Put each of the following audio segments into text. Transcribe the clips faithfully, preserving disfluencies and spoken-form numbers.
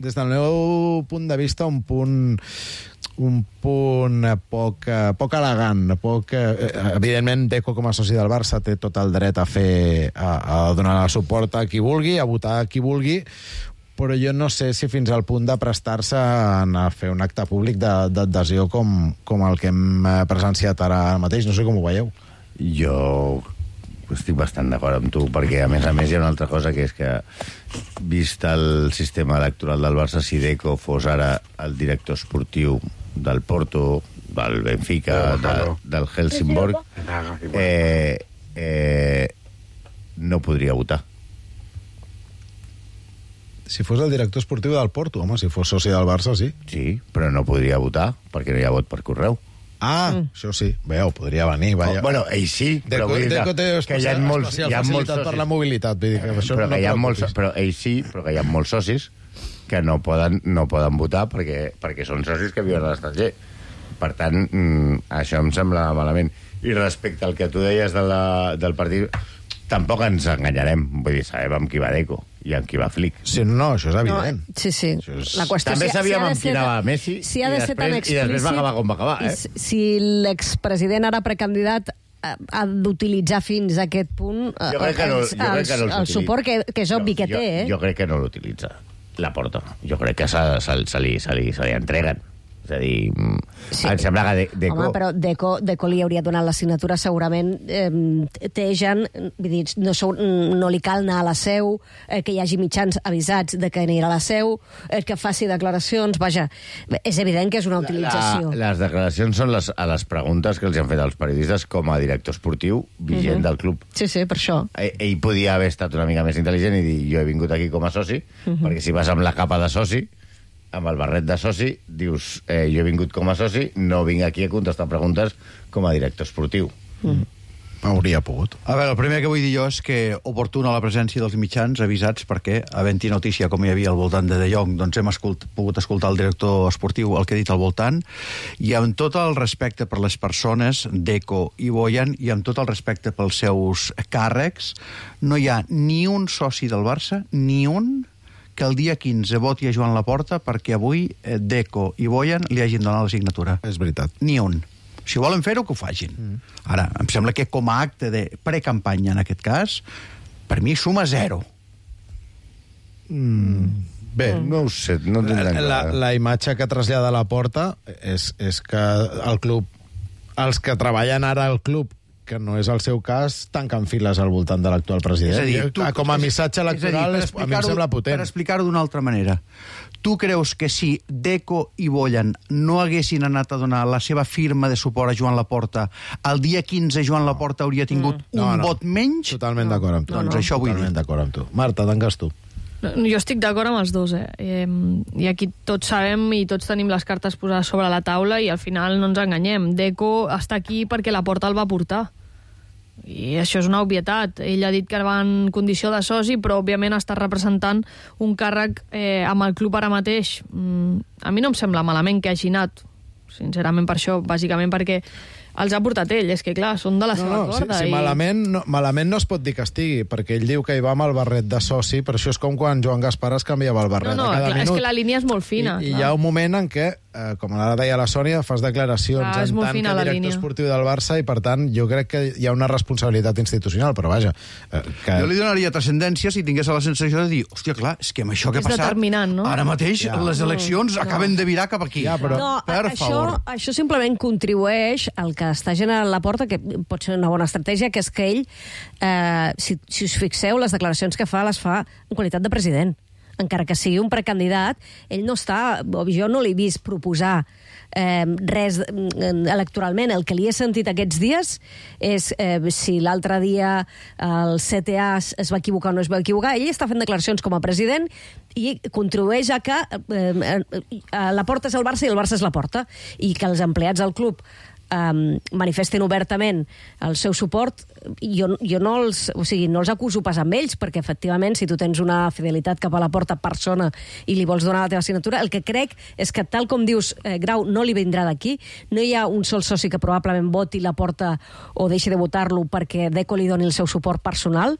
des del meu punt de vista, un punt un punt poc, poc elegant. Poc, evidentment, Deco, com a soci del Barça, té tot el dret a fer a, a donar el suport a qui vulgui, a votar a qui vulgui, però jo no sé si fins al punt de prestar-se a fer un acte públic d'adhesió com, com el que hem presenciat ara mateix. No sé com ho veieu. Jo estic bastant d'acord amb tu, perquè a més a més hi ha una altra cosa, que és que, vist el sistema electoral del Barça, si Deco fos ara el director esportiu del Porto, del Benfica, de, del Helsingborg, eh, eh, no podria votar. Si fos el director esportiu del Porto, home, si fos soci del Barça, sí. Sí, però no podria votar, perquè no hi ha vot per correu. Ah, mm. això sí. Veu, podria venir. Vaya. Oh, bueno, ell sí, però Deco, vull dir Deco té que hi ha molts, hi ha molts socis per la mobilitat. Vull dir que això però, no que hi ha molts, preocupis. però ell sí, però que hi ha molts socis que no poden, no poden votar perquè, perquè són socis que viuen a l'estranger. Per tant, mm, això em sembla malament. I respecte al que tu deies de la, del partit, tampoc ens enganyarem. Vull dir, sabem amb qui va Deco i amb qui va Flick. Sí, no, això és evident. No, sí, sí. És... La qüestió, També si, sabíem si amb qui anava Messi si ha i, de ser després, tan i després va acabar com va acabar. Eh? Si, si l'expresident ara precandidat ha d'utilitzar fins a aquest punt jo crec que no, jo crec que no el, el suport que, que és obvi jo, que té, eh? Jo crec que no l'utilitza, la porta. Jo crec que se, se, se, li, se, li, se li entreguen. És a dir, sí. Em sembla que de, Deco... Home, però Deco, Deco li hauria donat la signatura segurament. Eh, Tejan, vull dir, no, no li cal anar a la seu, eh, que hi hagi mitjans avisats de que anirà a la seu, eh, que faci declaracions. Vaja, és evident que és una utilització. La, les declaracions són les, a les preguntes que els han fet els periodistes com a director esportiu vigent uh -huh. del club. Sí, sí, per això. Ell, ell podia haver estat una mica més intel·ligent i dir, jo he vingut aquí com a soci, uh -huh. perquè si vas amb la capa de soci, amb el barret de soci, dius, eh, jo he vingut com a soci, no vinc aquí a contestar preguntes com a director esportiu. Mm. Hauria pogut. A veure, el primer que vull dir jo és que oportuna la presència dels mitjans avisats, perquè, havent-hi notícia com hi havia al voltant de De Jong, doncs hem escolt, pogut escoltar el director esportiu el que ha dit al voltant, i amb tot el respecte per les persones, Deco i Bojan, i amb tot el respecte pels seus càrrecs, no hi ha ni un soci del Barça, ni un que el dia quinze voti a Joan Laporta perquè avui Deco i Bojan li hagin donat la signatura. És veritat. Ni un. Si volen fer-ho, que ho facin. Mm. Ara, em sembla que com a acte de precampanya, en aquest cas, per mi suma zero. Mm. Bé, mm. no ho sé, no tindrem la, la, la imatge que trasllada Laporta és, és que el club, els que treballen ara al club, que no és el seu cas, tanquen files al voltant de l'actual president. És a dir, tu, com a missatge electoral, és a, dir, a mi em sembla potent. Per explicar-ho d'una altra manera, tu creus que si Deco i Bojan no haguessin anat a donar la seva firma de suport a Joan Laporta, el dia quinze Joan Laporta hauria tingut mm. un no, no. vot menys? Totalment no. d'acord amb tu. Doncs no, no. això vull dir. Totalment d'acord amb tu. Marta, tanques tu. Jo estic d'acord amb els dos, eh? I aquí tots sabem i tots tenim les cartes posades sobre la taula i al final no ens enganyem. Deco està aquí perquè Laporta el va portar. I això és una obvietat. Ell ha dit que va en condició de soci, però òbviament està representant un càrrec eh, amb el club ara mateix. Mm, a mi no em sembla malament que hagi anat, sincerament per això, bàsicament perquè els ha portat ell, és que clar, són de la no, seva no, corda. Si, si i... malament, no, malament no es pot dir que estigui, perquè ell diu que hi va amb el barret de soci, per això és com quan Joan Gaspar es canviava el barret no, no, a cada clar, minut. És que la línia és molt fina. I, i hi ha un moment en què, eh, com ara deia la Sònia, fas declaracions clar, en tant que director línia. esportiu del Barça i, per tant, jo crec que hi ha una responsabilitat institucional, però vaja... Eh, que... Jo li donaria transcendència si tingués la sensació de dir, hòstia, clar, és que amb això que ha passat... No? Ara mateix ja. les eleccions no, acaben no. de virar cap aquí. Ja, però... No, per això, favor. Això simplement contribueix al que està generant la porta, que pot ser una bona estratègia, que és que ell, eh, si, si us fixeu, les declaracions que fa les fa en qualitat de president. Encara que sigui un precandidat, ell no està, o jo no l'he vist proposar eh, res electoralment. El que li he sentit aquests dies és eh, si l'altre dia el C T A es va equivocar o no es va equivocar. Ell està fent declaracions com a president i contribueix a que eh, eh, la porta és el Barça i el Barça és la porta, i que els empleats del club Um, manifesten obertament el seu suport. Jo, jo no, els, o sigui, no els acuso pas amb ells, perquè efectivament si tu tens una fidelitat cap a la porta persona i li vols donar la teva signatura, el que crec és que, tal com dius, eh, Grau, no li vindrà d'aquí. No hi ha un sol soci que probablement voti la porta o deixi de votar-lo perquè Deco li doni el seu suport personal.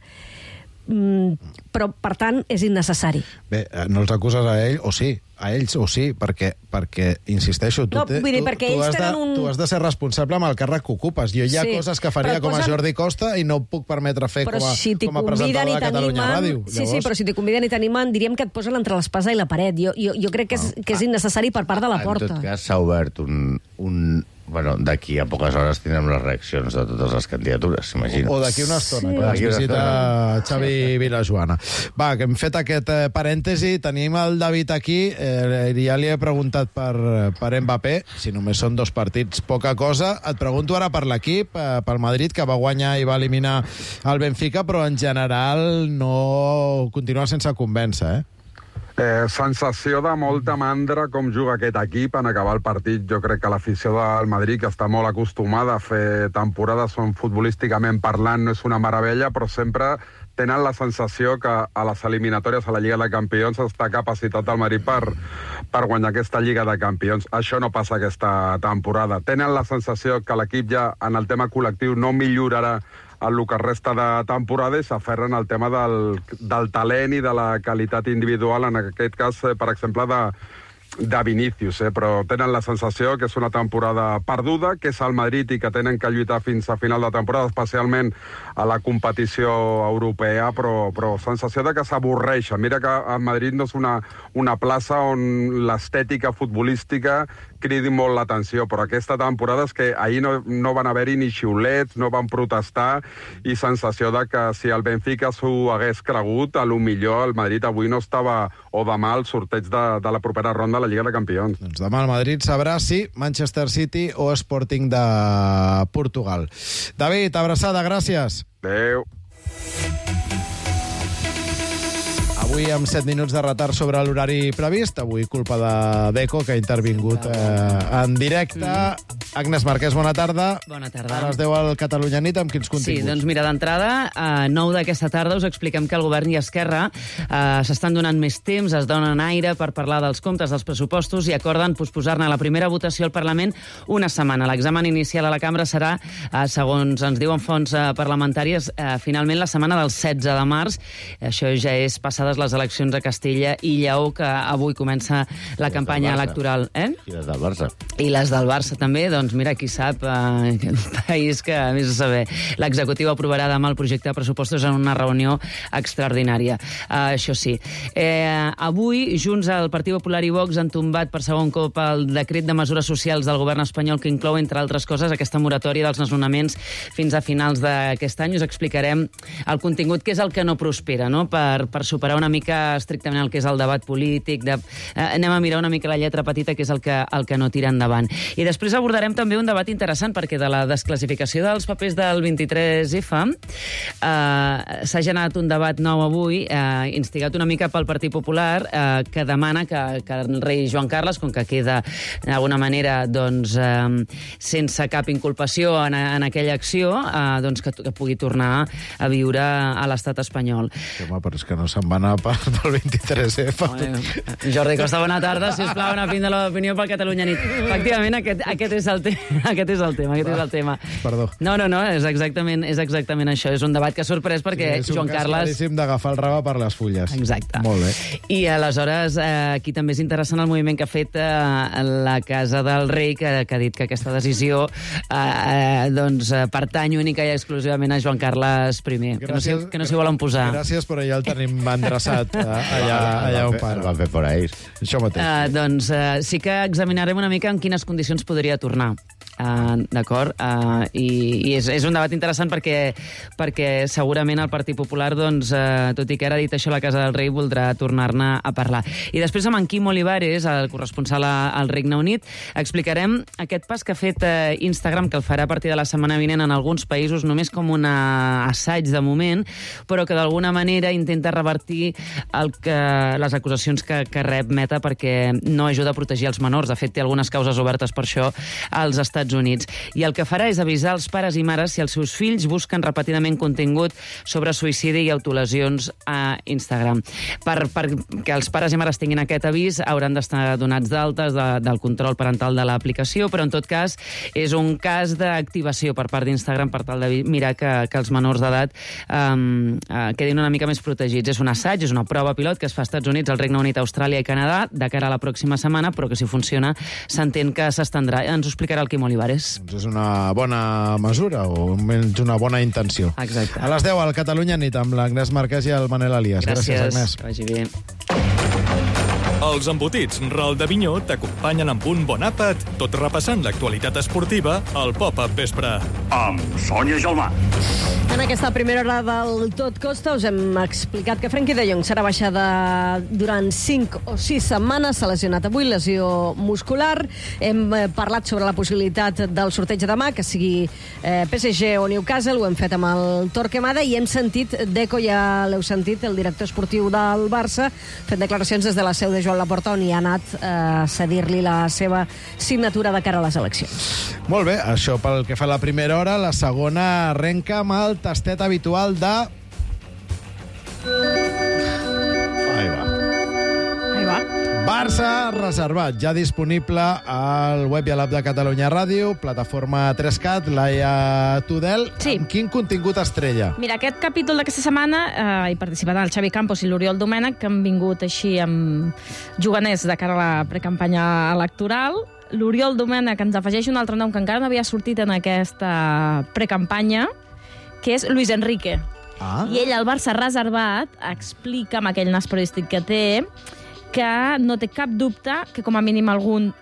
però, per tant, és innecessari. Bé, no els acuses a ell, o sí, a ells o sí, perquè, perquè insisteixo, tu, No, te, vull dir, tu, perquè tu, ells has de, tenen un- tu has de ser responsable amb el càrrec que ocupes. Jo hi ha Sí, coses que faria però com a posen- Jordi Costa i no ho puc permetre fer Però com a, si t'hi com a conviden presentador i de Catalunya t'animen... Ràdio. Sí, sí, però si t'hi conviden i t'animen, diríem que et posen entre l'espasa i la paret. Jo, jo, jo crec que és, que és innecessari per part de la En porta. tot cas, s'ha obert un... un bueno, d'aquí a poques hores tindrem les reaccions de totes les candidatures, s'imagina. O d'aquí una estona, Sí. quan ens D'aquí una visita estona. Xavi Vilajoana. Va, que hem fet aquest eh, parèntesi, tenim el David aquí, eh, i ja li he preguntat per, per Mbappé, si només són dos partits, poca cosa. Et pregunto ara per l'equip, eh, pel Madrid, que va guanyar i va eliminar el Benfica, però en general no continua sense convèncer, eh? Eh, sensació de molta mandra com juga aquest equip en acabar el partit. Jo crec que l'afició del Madrid, que està molt acostumada a fer temporades on futbolísticament parlant no és una meravella, però sempre tenen la sensació que a les eliminatòries a la Lliga de Campions està capacitat el Madrid per, per guanyar aquesta Lliga de Campions. Això no passa aquesta temporada. Tenen la sensació que l'equip ja en el tema col·lectiu no millorarà el que resta de temporada i s'aferren al tema del, del talent i de la qualitat individual, en aquest cas, eh, per exemple, de, de Vinícius, eh? Però tenen la sensació que és una temporada perduda, que és el Madrid i que tenen que lluitar fins a final de temporada, especialment a la competició europea, però, però sensació de que s'avorreixen. Mira que el Madrid no és una, una plaça on l'estètica futbolística cridi molt l'atenció, però aquesta temporada és que ahir no, no van haver-hi ni xiulets, no van protestar, i sensació de que si el Benfica s'ho hagués cregut, a lo millor el Madrid avui no estava, o demà, al sorteig de, de la propera ronda de la Lliga de Campions. Doncs demà el Madrid sabrà si Manchester City o Sporting de Portugal. David, abraçada, gràcies. Adéu. Avui amb set minuts de retard sobre l'horari previst. Avui culpa de Deco, que ha intervingut eh, en directe. Agnès Marquès, bona tarda. Bona tarda. A les deu al Catalunya Nit, amb quins Sí, continguts? doncs mira, d'entrada, a nou d'aquesta tarda us expliquem que el govern i Esquerra eh, s'estan donant més temps, es donen aire per parlar dels comptes dels pressupostos i acorden posposar-ne la primera votació al Parlament una setmana. L'examen inicial a la cambra serà, eh, segons ens diuen fonts eh, parlamentàries, eh, finalment la setmana del setze de març. Això ja és passades les eleccions a Castella i Lleó, que avui comença la I campanya les del Barça. electoral. Eh? I les del Barça. I les del Barça també, doncs mira, qui sap, eh, aquest país que, a més de saber, l'executiu aprovarà demà el projecte de pressupostos en una reunió extraordinària. Uh, això sí. Eh, avui, Junts, el Partit Popular i Vox han tombat per segon cop el decret de mesures socials del govern espanyol que inclou, entre altres coses, aquesta moratòria dels desnonaments fins a finals d'aquest any. Us explicarem el contingut, que és el que no prospera, no? Per, per superar una mica estrictament el que és el debat polític. De, eh, anem a mirar una mica la lletra petita, que és el que, el que no tira endavant. I després abordarem també un debat interessant, perquè de la desclassificació dels papers del vint-i-tres F eh, s'ha generat un debat nou avui, eh, instigat una mica pel Partit Popular, eh, que demana que, que el rei Joan Carles, com que queda d'alguna manera doncs, eh, sense cap inculpació en, en aquella acció, eh, doncs que, que pugui tornar a viure a l'estat espanyol. Sí, home, però és que no se'n va anar per, pel vint-i-tres F. Eh, Jordi Costa, bona tarda. Sisplau, una fin de l'opinió pel Catalunya Nit. Efectivament, aquest, aquest, és el te aquest és el tema. Aquest és el tema. Perdó. No, no, no, és exactament, és exactament això. És un debat que ha sorprès perquè Sí, és un Joan cas Carles... claríssim d'agafar el rave per les fulles. Exacte. Molt bé. I aleshores, eh, aquí també és interessant el moviment que ha fet eh, la Casa del Rei, que, que ha dit que aquesta decisió eh, eh, doncs, eh, pertany única i exclusivament a Joan Carles I, que no, s'hi, que no s'hi volen posar. Gràcies, però ja el tenim endreçat eh, allà, allà on El para. van fer por ahí. Això mateix. Uh, doncs uh, sí que examinarem una mica en quines condicions podria tornar. Uh, D'acord? Uh, I i és, és un debat interessant perquè, perquè segurament el Partit Popular, doncs, uh, tot i que ara ha dit això la Casa del Rei, voldrà tornar-ne a parlar. I després amb en Quim Olivares, el corresponsal al Regne Unit, explicarem aquest pas que ha fet uh, Instagram, que el farà a partir de la setmana vinent en alguns països, només com un assaig de moment, però que d'alguna manera intenta revertir el que, les acusacions que, que rep Meta, perquè no ajuda a protegir els menors. De fet, té algunes causes obertes per això als Estats Estats Units. I el que farà és avisar els pares i mares si els seus fills busquen repetidament contingut sobre suïcidi i autolesions a Instagram. Per, per que els pares i mares tinguin aquest avís hauran d'estar donats d'altes de, del control parental de l'aplicació, però en tot cas és un cas d'activació per part d'Instagram per tal de mirar que, que els menors d'edat um, uh, quedin una mica més protegits. És un assaig, és una prova pilot que es fa als Estats Units, al Regne Unit, Austràlia i Canadà de cara a la pròxima setmana, però que si funciona s'entén que s'estendrà. Ens ho explicarà el Quim Olivares. Doncs és una bona mesura o almenys una bona intenció. Exacte. A les deu al Catalunya Nit amb l'Agnès Marquès i el Manel Elias. Gràcies, Gràcies Agnès. Que vagi bé. Els embotits Ral de Vinyó t'acompanyen amb un bon àpat, tot repassant l'actualitat esportiva al Pop-Up Vespre. Amb Sònia Gelmà. En aquesta primera hora del Tot Costa us hem explicat que Frenkie de Jong serà baixada durant cinc o sis setmanes. S'ha lesionat avui, lesió muscular. Hem parlat sobre la possibilitat del sorteig de demà, que sigui eh, P S G o Newcastle. Ho hem fet amb el Torquemada i hem sentit, Deco ja l'heu sentit, el director esportiu del Barça, fent declaracions des de la seu de Joan Laporta, on hi ha anat eh, a cedir-li la seva signatura de cara a les eleccions. Molt bé, això pel que fa a la primera hora. La segona arrenca amb el tastet habitual de... Ahí va. Ahí va. Barça reservat, ja disponible al web i a l'app de Catalunya Ràdio, plataforma tres cat, Laia Tudel. Sí. Amb quin contingut estrella? Mira, aquest capítol d'aquesta setmana eh, hi participaran el Xavi Campos i l'Oriol Domènech, que han vingut així amb juganers de cara a la precampanya electoral. L'Oriol Domènech ens afegeix un altre nom que encara no havia sortit en aquesta precampanya, que és Luis Enrique. Ah. I ell, al Barça reservat, explica amb aquell nas periodístic que té que no té cap dubte que com a mínim algun,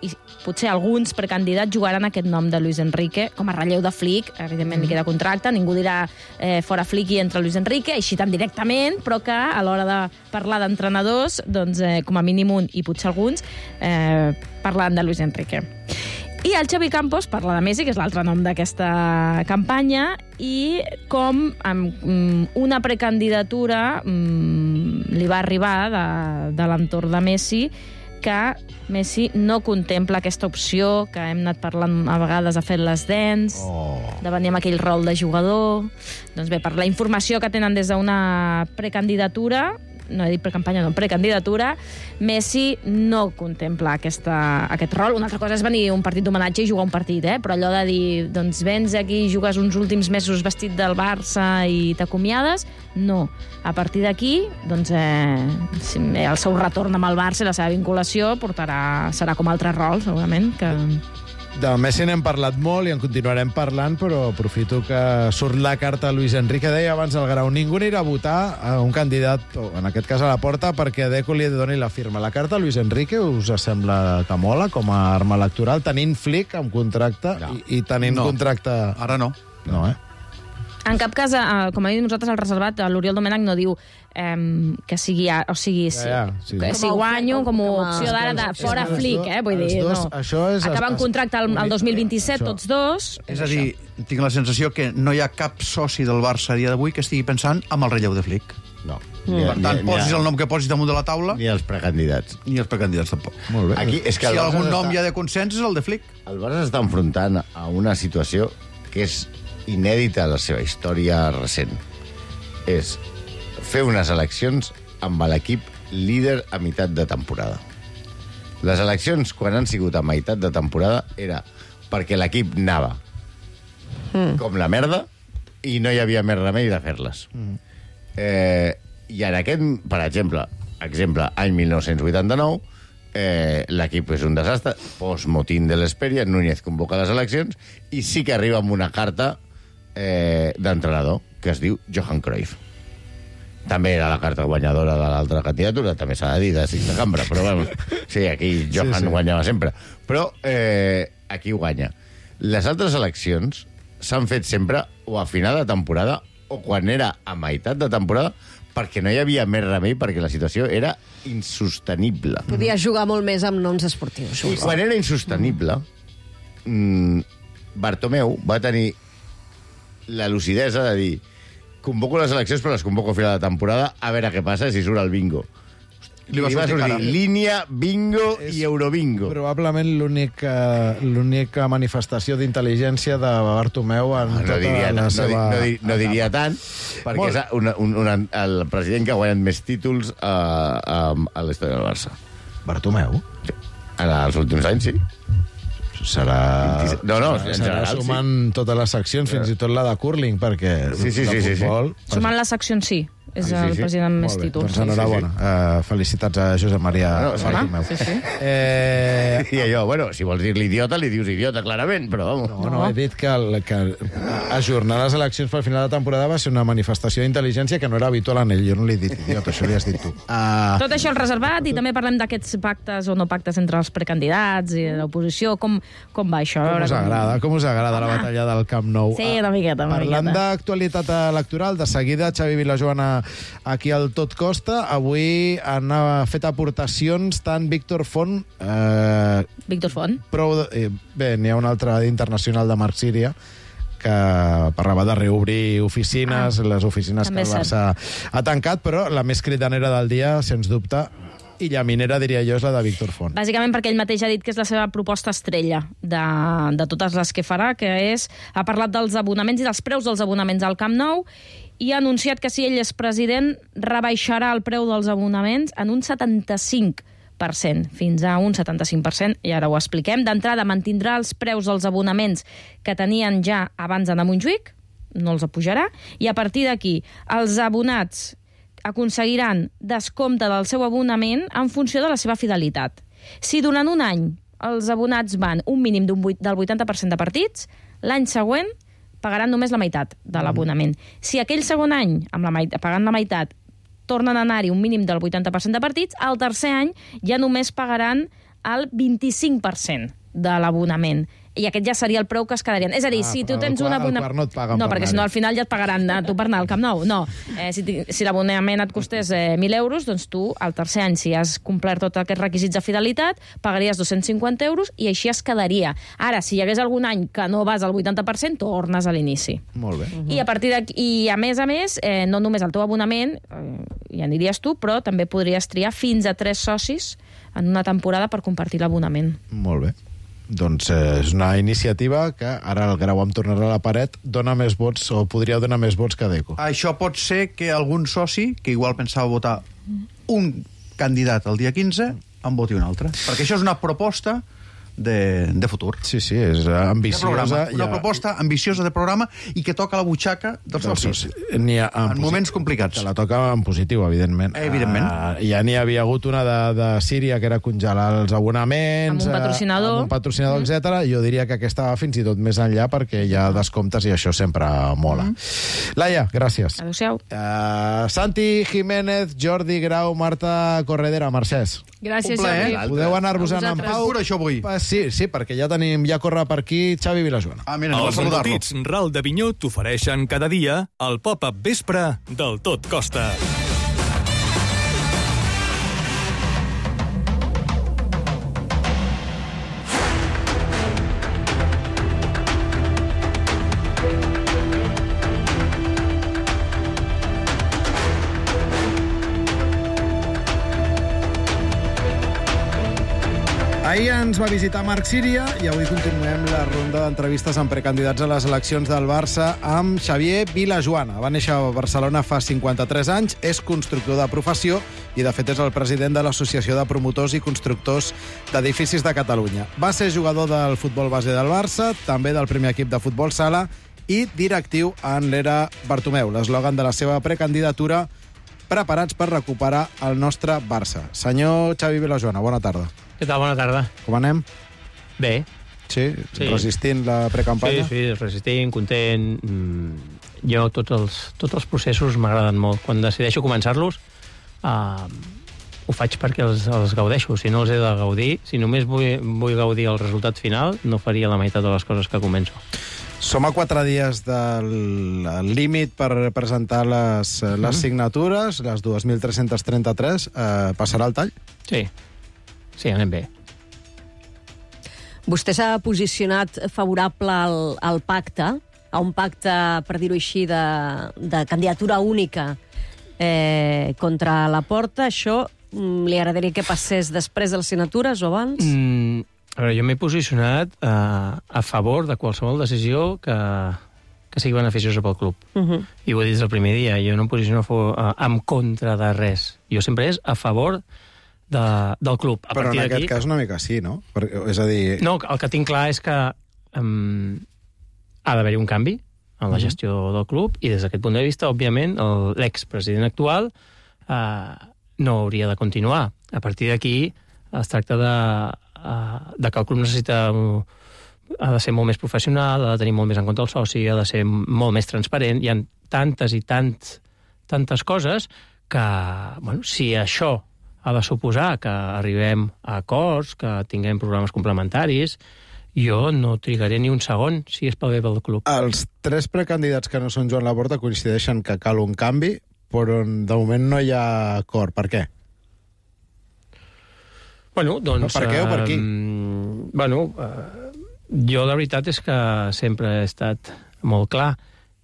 i potser alguns precandidats jugaran aquest nom de Luis Enrique com a relleu de Flick. Evidentment li queda contracte, ningú dirà eh, fora Flick i entra Luis Enrique, així tan directament, però que a l'hora de parlar d'entrenadors, doncs eh, com a mínim un i potser alguns eh, parlant de Luis Enrique. I el Xavi Campos parla de Messi, que és l'altre nom d'aquesta campanya, i com amb una precandidatura mm, li va arribar de, de l'entorn de Messi, que Messi no contempla aquesta opció, que hem anat parlant a vegades, ha fet les dents, oh. de venir amb aquell rol de jugador. Doncs bé, per la informació que tenen des d'una precandidatura, no he dit precampanya, no, precandidatura, Messi no contempla aquesta, aquest rol. Una altra cosa és venir a un partit d'homenatge i jugar un partit, eh? Però allò de dir, doncs vens aquí i jugues uns últims mesos vestit del Barça i t'acomiades, no. A partir d'aquí, doncs, eh, el seu retorn amb el Barça i la seva vinculació portarà, serà com altre rol, segurament, que... De Messi n'hem parlat molt i en continuarem parlant, però aprofito que surt la carta a Luis Enrique. Deia abans el Grau, ningú anirà a votar a un candidat, o en aquest cas a la Porta, perquè Deco li doni la firma. La carta a Luis Enrique us sembla que mola com a arma electoral, tenint Flick amb contracte no. i, i tenint no. contracte... Ara no. No, eh? En cap cas, eh, com ha dit nosaltres, el reservat, l'Oriol Domènech no diu eh, que sigui... O sigui, si, ja, ja, sí. que si guanyo com a opció d'ara de fora Flick, eh? Vull dir, dos, no. Això és, acaben contracte el, el dos mil vint-i-set, això. Tots dos. És a dir, tinc la sensació que no hi ha cap soci del Barça a dia d'avui que estigui pensant amb el relleu de Flick. No. Mm. Per tant, ni, posis ni, el nom que posis damunt de la taula... Ni els precandidats. Ni els precandidats, tampoc. Molt bé. Aquí, és que si algun nom està... hi ha de consens és el de Flick. El Barça està enfrontant a una situació que és inèdita a la seva història recent. És fer unes eleccions amb l'equip líder a meitat de temporada. Les eleccions, quan han sigut a meitat de temporada, era perquè l'equip anava mm. com la merda i no hi havia més remei de fer-les. Mm. Eh, I en aquest, per exemple, exemple, any mil nou-cents vuitanta-nou, eh, l'equip és un desastre, post-motín de l'Esperia, Núñez convoca les eleccions i sí que arriba amb una carta Eh, d'entrenador, que es diu Johan Cruyff. També era la carta guanyadora de l'altra candidatura, també s'ha de dir, de cinc de cambra, però bueno, sí, aquí Johan sí, sí. guanyava sempre. Però eh, aquí guanya. Les altres eleccions s'han fet sempre o a final de temporada o quan era a meitat de temporada, perquè no hi havia més remei, perquè la situació era insostenible. Podia jugar molt més amb noms esportius. I quan era insostenible, mm, Bartomeu va tenir la lucidesa de dir convoco les eleccions però les convoco a final de temporada a veure què passa si surt el bingo. Li va sortir línia, bingo i eurobingo. Probablement l'única l'única manifestació d'intel·ligència de Bartomeu en no, tota diria, la no, seva... No, no, no diria tant, perquè Molt. és una, un, una, el president que ha guanyat més títols a, a, a l'història del Barça. Bartomeu? Sí. En els últims anys, sí. Serà... No, no, serà, en serà general, sumant sí. totes les seccions, fins i tot la de curling, perquè Sí, sí, sí, de sí, sí. futbol... Sumant les seccions, sí. És Sí, sí, el sí. president amb més Molt bé, títols. doncs enhorabona. sí, Uh, felicitats a Josep Maria No, sí. Bartomeu. Sí, sí. Eh, I allò, bueno, si vols dir-li idiota, li dius idiota, clarament, però vamos. No, no, he dit que, el, que ajornar les eleccions pel final de temporada va ser una manifestació d'intel·ligència que no era habitual en ell. Jo no l'he dit idiota, això li has dit tu. Uh, Tot això el reservat i també parlem d'aquests pactes o no pactes entre els precandidats i l'oposició. Com, com va això? com us com- agrada, com us agrada la batalla del Camp Nou? Sí, una miqueta, una Parlant miqueta. d'actualitat electoral, de seguida Xavi Vilajoana aquí al Tot Costa. Avui han eh, fet aportacions tant Víctor Font... Eh, Víctor Font. prou de, eh, bé, n'hi ha un altre internacional de Marc Síria que parlava de reobrir oficines, ah, les oficines que també el és Barça ha tancat, però la més cridanera del dia, sens dubte, i llaminera, diria jo, és la de Víctor Font. Bàsicament perquè ell mateix ha dit que és la seva proposta estrella de, de totes les que farà, que és... Ha parlat dels abonaments i dels preus dels abonaments al Camp Nou i ha anunciat que si ell és president rebaixarà el preu dels abonaments en un setanta-cinc per cent, fins a un setanta-cinc per cent, i ara ho expliquem. D'entrada, mantindrà els preus dels abonaments que tenien ja abans d'anar a Montjuïc, no els apujarà, i a partir d'aquí els abonats aconseguiran descompte del seu abonament en funció de la seva fidelitat. Si durant un any els abonats van un mínim d'un vuit, del vuitanta per cent de partits, l'any següent pagaran només la meitat de l'abonament. Si aquell segon any, amb la meitat, pagant la meitat, tornen a anar-hi un mínim del vuitanta per cent de partits, al tercer any ja només pagaran el vint-i-cinc per cent de l'abonament. I aquest ja seria el preu que es quedarien. És a dir, Ah, si tu però tens el un quart- el abonament... quart no et paguen No, per perquè si no anar-hi. al final ja et pagaran a tu per anar al Camp Nou. No, eh, si, ti- si l'abonament et costés eh, mil euros, doncs tu, al tercer any, si has complert tots aquests requisits de fidelitat, pagaries dos-cents cinquanta euros i així es quedaria. Ara, si hi hagués algun any que no vas al vuitanta per cent, tornes a l'inici. Molt bé. I a partir d'aquí, i a més a més, eh, no només el teu abonament, eh, ja aniries tu, però també podries triar fins a tres socis en una temporada per compartir l'abonament. Molt bé. Doncs eh, és una iniciativa que ara el grau amb tornar a la paret dona més vots, o podria donar més vots que Deco. Això pot ser que algun soci, que igual pensava votar un candidat el dia quinze, en voti un altre. Perquè això és una proposta de, de futur. Sí, sí, és De ambiciosa. programa. Una Ja- proposta ambiciosa de programa i que toca la butxaca dels dels socis. socis. N'hi ha, En posi- moments complicats. Que la toca en positiu, evidentment. Evidentment. Uh, ja n'hi havia hagut una de, de Síria, que era congelar els abonaments... Amb un patrocinador. Uh, amb un patrocinador, mm. etcètera. Jo diria que aquesta va fins i tot més enllà, perquè hi ha descomptes i això sempre mola. Mm. Laia, gràcies. Adéu-siau. Uh, Santi Jiménez, Jordi Grau, Marta Corredera, Mercès. Gràcies, Un plaer. Jordi. Podeu anar-vos-en en vosaltres. pau. Pura, això vull. Pa- Sí, sí, perquè ja tenim, ja corre per aquí Xavi Vilajoana. Ah, mira, anem a Els saludar-lo. embotits Ral de Vinyó t'ofereixen cada dia el pop-up vespre del Tot Costa. Ahir ens va visitar Marc Síria i avui continuem la ronda d'entrevistes amb precandidats a les eleccions del Barça amb Xavier Vilajoana. Va néixer a Barcelona fa cinquanta-tres anys, és constructor de professió i, de fet, és el president de l'Associació de Promotors i Constructors d'Edificis de Catalunya. Va ser jugador del futbol base del Barça, també del primer equip de futbol sala i directiu en l'era Bartomeu, l'eslògan de la seva precandidatura: preparats per recuperar el nostre Barça. Senyor Xavi Vilajoana, bona tarda. Què tal? Bona tarda. Com anem? Bé. Sí, Sí. resistint la precampanya? Sí, sí, resistint, content. Mm, jo tots els, tots els processos m'agraden molt. Quan decideixo començar-los, uh, ho faig perquè els, els gaudeixo. Si no els he de gaudir, si només vull, vull gaudir el resultat final, no faria la meitat de les coses que començo. Som a quatre dies del límit per presentar les, les Mhm. signatures, les dos mil tres-cents trenta-tres. Eh, passarà el tall? Sí. Sí, anem bé. Vostè s'ha posicionat favorable al, al pacte, a un pacte, per dir-ho així, de, de candidatura única eh, contra la Porta. Això li agradaria que passés després de les signatures o abans? Mm, a veure, jo m'he posicionat uh, a favor de qualsevol decisió que, que sigui beneficiosa pel club. Uh -huh. I ho he dit des del primer dia. Jo no em posiciono a favor, uh, en contra de res. Jo sempre és a favor de, del club. A Però en aquest aquí... cas una mica sí, no? Per, és a dir... No, el que tinc clar és que um, ha d'haver-hi un canvi en la gestió uh -huh. del club, i des d'aquest punt de vista, òbviament, l'expresident actual uh, no hauria de continuar. A partir d'aquí es tracta de, uh, de que el club necessita... Uh, ha de ser molt més professional, ha de tenir molt més en compte el soci, ha de ser molt més transparent. Hi ha tantes i tant, tantes coses que, bueno, si això ha de suposar que arribem a acords, que tinguem programes complementaris, jo no trigaré ni un segon si és pel bé del club. Els tres precandidats que no són Joan Laporta coincideixen que cal un canvi, però de moment no hi ha acord. Per què? Bueno, doncs... Per què o per qui? Eh, bueno, eh, jo la veritat és que sempre he estat molt clar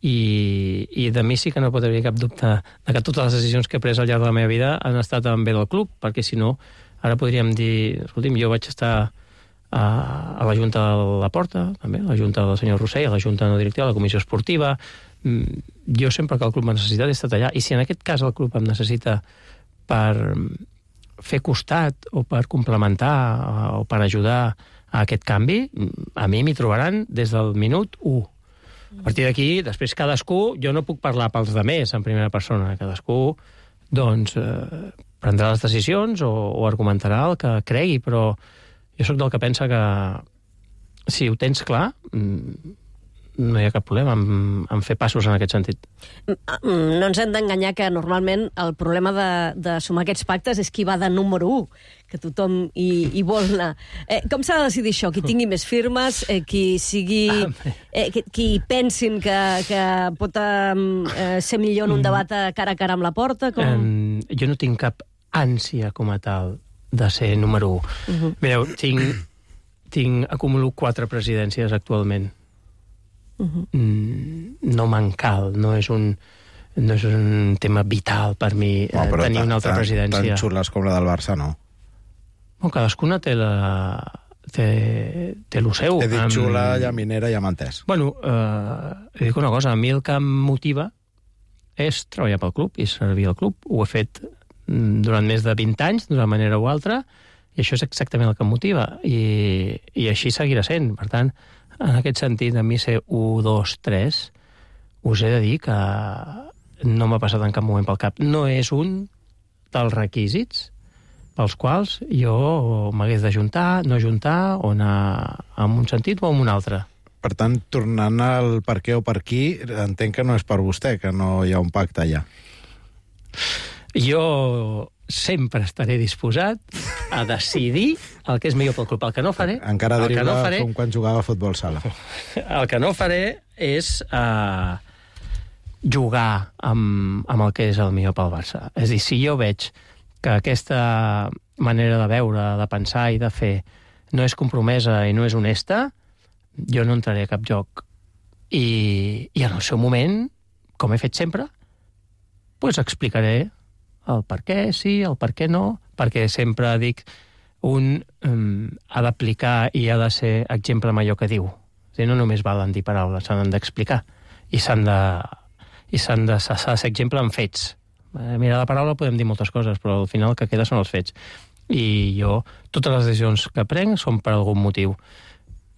i, i de mi sí que no pot haver cap dubte de que totes les decisions que he pres al llarg de la meva vida han estat en bé del club, perquè si no, ara podríem dir, escolti'm, jo vaig estar a, a la Junta de la Porta, també, a la Junta del senyor Rossell, a la Junta no directiva, a la Comissió Esportiva. Jo sempre que el club m'ha necessitat he estat allà, i si en aquest cas el club em necessita per fer costat o per complementar o per ajudar a aquest canvi, a mi m'hi trobaran des del minut u. A partir d'aquí, després cadascú, jo no puc parlar pels demés en primera persona, cadascú doncs eh, prendrà les decisions o, o argumentarà el que cregui, però jo sóc del que pensa que si ho tens clar, no hi ha cap problema en, en fer passos en aquest sentit. No ens hem d'enganyar que normalment el problema de, de sumar aquests pactes és qui va de número u, que tothom hi, hi vol anar. Eh, com s'ha de decidir això? Qui tingui més firmes, eh, qui sigui... Eh, qui, qui pensin que, que pot eh, ser millor en un debat a cara a cara amb la Porta? Com... Um, jo no tinc cap ànsia com a tal de ser número u. Uh -huh. Mireu, tinc, tinc, acumulo quatre presidències actualment. Uh -huh. mm, no me'n cal, no és un no és un tema vital per mi no, eh, tenir una altra tan, presidència. Tan xules com la del Barça, no? Bueno, cadascuna té la... té, té el seu. He dit xula, ja minera, ja m'ha entès. Bueno, eh, he dit una cosa, a mi el que em motiva és treballar pel club i servir al club. Ho he fet durant més de vint anys, d'una manera o altra, i això és exactament el que em motiva, i, i així seguirà sent. Per tant, en aquest sentit, a mi ser u, dos, tres, us he de dir que no m'ha passat en cap moment pel cap. No és un dels requisits pels quals jo m'hagués d'ajuntar, no ajuntar, o anar en un sentit o en un altre. Per tant, tornant al per què o per qui, entenc que no és per vostè, que no hi ha un pacte allà. Jo sempre estaré disposat a decidir el que és millor pel club. El que no faré... Encara deriva no faré, com quan jugava a futbol sala. El que no faré és uh, jugar amb, amb el que és el millor pel Barça. És a dir, si jo veig que aquesta manera de veure, de pensar i de fer no és compromesa i no és honesta, jo no entraré a cap joc. I, i en el seu moment, com he fet sempre, doncs explicaré el per què sí, el per què no, perquè sempre dic un um, ha d'aplicar i ha de ser exemple amb allò que diu. És dir, no només valen dir paraules, s'han d'explicar i s'han de, i s'han de, s'ha de ser exemple amb fets. Mira, la paraula podem dir moltes coses, però al final el que queda són els fets. I jo, totes les decisions que prenc són per algun motiu.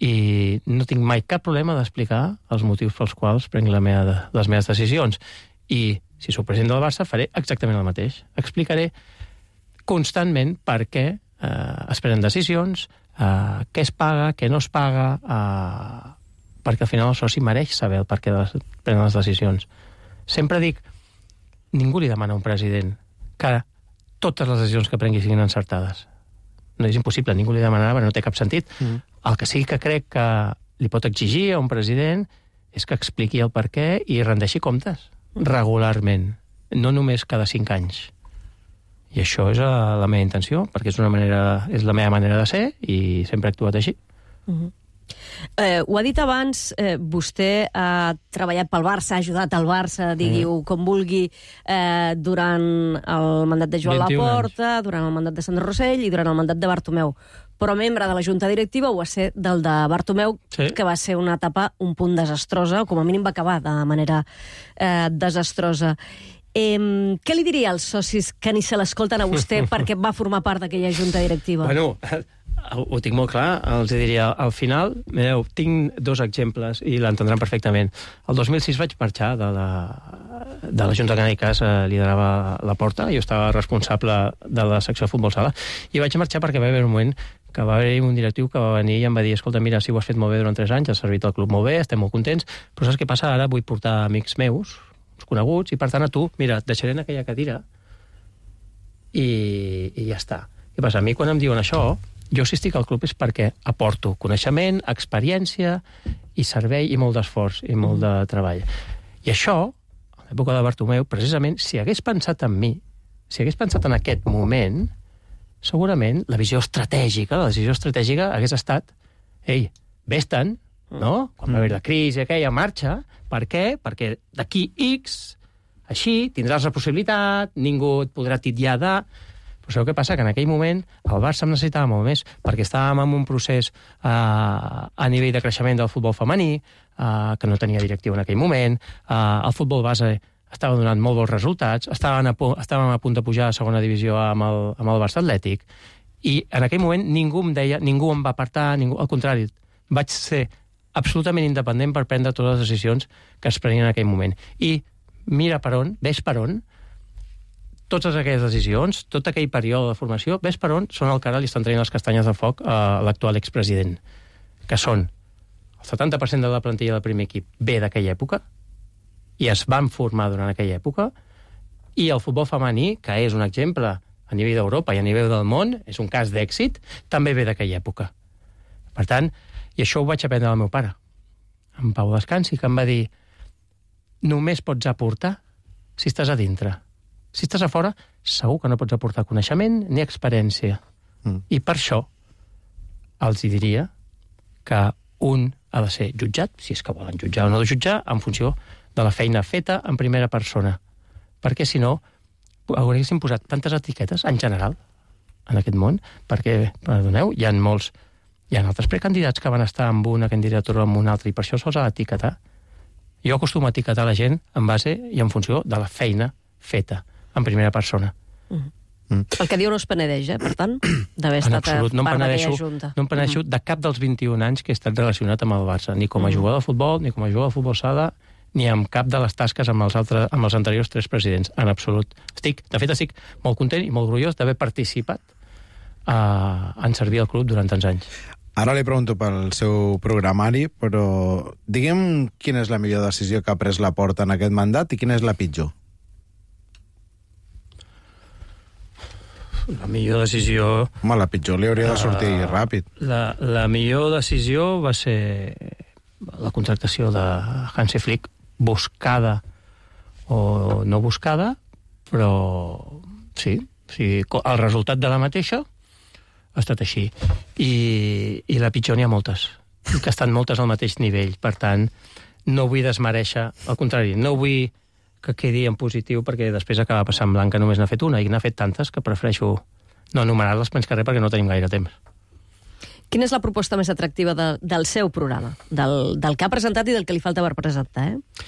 I no tinc mai cap problema d'explicar els motius pels quals prenc la meva, les meves decisions. I si sóc president del Barça, faré exactament el mateix. Explicaré constantment per què eh, es prenen decisions, eh, què es paga, què no es paga, eh, perquè al final el soci mereix saber el per què les, prenen les decisions. Sempre dic, ningú li demana a un president que totes les decisions que prengui siguin encertades. No és impossible, ningú li demanarà, perquè no té cap sentit. Mm. El que sí que crec que li pot exigir a un president és que expliqui el per què i rendeixi comptes regularment, no només cada cinc anys. I això és la meva intenció, perquè és una manera, és la meva manera de ser i sempre he actuat així. Uh-huh. Eh, ho ha dit abans, eh, vostè ha treballat pel Barça, ha ajudat al Barça, digui-ho com vulgui, eh, durant el mandat de Joan Laporta, durant el mandat de Sandro Rossell i durant el mandat de Bartomeu. Però membre de la Junta Directiva ho va ser del de Bartomeu, sí. que va ser una etapa un punt desastrosa, o com a mínim va acabar de manera eh, desastrosa. Eh, què li diria als socis que ni se l'escolten a vostè perquè va formar part d'aquella Junta Directiva? Bueno, ho tinc molt clar, els diria, al final, mireu, tinc dos exemples i l'entendran perfectament. El dos mil sis vaig marxar de la, de la Junta Cànicas, eh, liderava la Porta, jo estava responsable de la secció de futbol sala, i vaig marxar perquè va haver un moment que va haver un directiu que va venir i em va dir, escolta, mira, si ho has fet molt bé durant tres anys, has servit al club molt bé, estem molt contents, però saps què passa? Ara vull portar amics meus, uns coneguts, i per tant a tu, mira, et deixaré en aquella cadira i, i ja està. Què passa? A mi quan em diuen això, jo si estic al club és perquè aporto coneixement, experiència i servei i molt d'esforç i molt de treball. I això, a l'època de Bartomeu, precisament, si hagués pensat en mi, si hagués pensat en aquest moment, segurament la visió estratègica, la decisió estratègica hagués estat, ei, vés-te'n, no? Quan va haver la crisi aquella marxa, per què? Perquè d'aquí X, així, tindràs la possibilitat, ningú et podrà titllar de... Però sabeu què passa? Que en aquell moment el Barça em necessitava molt més, perquè estàvem en un procés eh, a nivell de creixement del futbol femení, eh, que no tenia directiu en aquell moment, eh, el futbol base estava donant molt bons resultats, estàvem a, estàvem a punt de pujar a segona divisió amb el, amb el Barça Atlètic, i en aquell moment ningú em deia, ningú em va apartar, ningú, al contrari, vaig ser absolutament independent per prendre totes les decisions que es prenien en aquell moment. I mira per on, ves per on, totes aquelles decisions, tot aquell període de formació, ves per on són el que ara li estan traient les castanyes de foc a l'actual expresident, que són el setanta per cent de la plantilla del primer equip ve d'aquella època, i es van formar durant aquella època, i el futbol femení, que és un exemple a nivell d'Europa i a nivell del món, és un cas d'èxit, també ve d'aquella època. Per tant, i això ho vaig aprendre del meu pare, en Pau Descansi, que em va dir, només pots aportar si estàs a dintre. Si estàs a fora, segur que no pots aportar coneixement ni experiència. Mm. I per això els diria que un ha de ser jutjat, si és que volen jutjar o no de jutjar, en funció de la feina feta en primera persona. Perquè, si no, haguéssim posat tantes etiquetes, en general, en aquest món, perquè, perdoneu, hi ha molts... Hi ha altres precandidats que van estar amb una candidatura o amb una altra, i per això se'ls ha d'etiquetar. Jo acostumo a etiquetar la gent en base i en funció de la feina feta, en primera persona. Mm. Mm. El que diu no es penedeix, eh, per tant, d'haver estat absolut, no part d'aquella junta. No em penedeixo mm. de cap dels vint-i-un anys que he estat relacionat amb el Barça, ni com a mm. jugador de futbol, ni com a jugador de futbol sala, ni amb cap de les tasques amb els, altres, amb els anteriors tres presidents, en absolut. Estic, de fet, estic molt content i molt orgullós d'haver participat uh, en servir al club durant tants anys. Ara li pregunto pel seu programari, però diguem quina és la millor decisió que ha pres la Porta en aquest mandat i quina és la pitjor. La millor decisió... Home, la pitjor li hauria de sortir uh, ràpid. La, la millor decisió va ser la contractació de Hansi Flick, buscada o no buscada, però sí, sí, el resultat de la mateixa ha estat així. I, i la pitjor n'hi ha moltes, que estan moltes al mateix nivell. Per tant, no vull desmereixer, al contrari, no vull que quedi en positiu, perquè després acaba passant blanc que només n'ha fet una, i n'ha fet tantes que prefereixo no enumerar-les menys que res, perquè no tenim gaire temps. Quina és la proposta més atractiva de, del seu programa? Del, del que ha presentat i del que li falta per presentar, eh?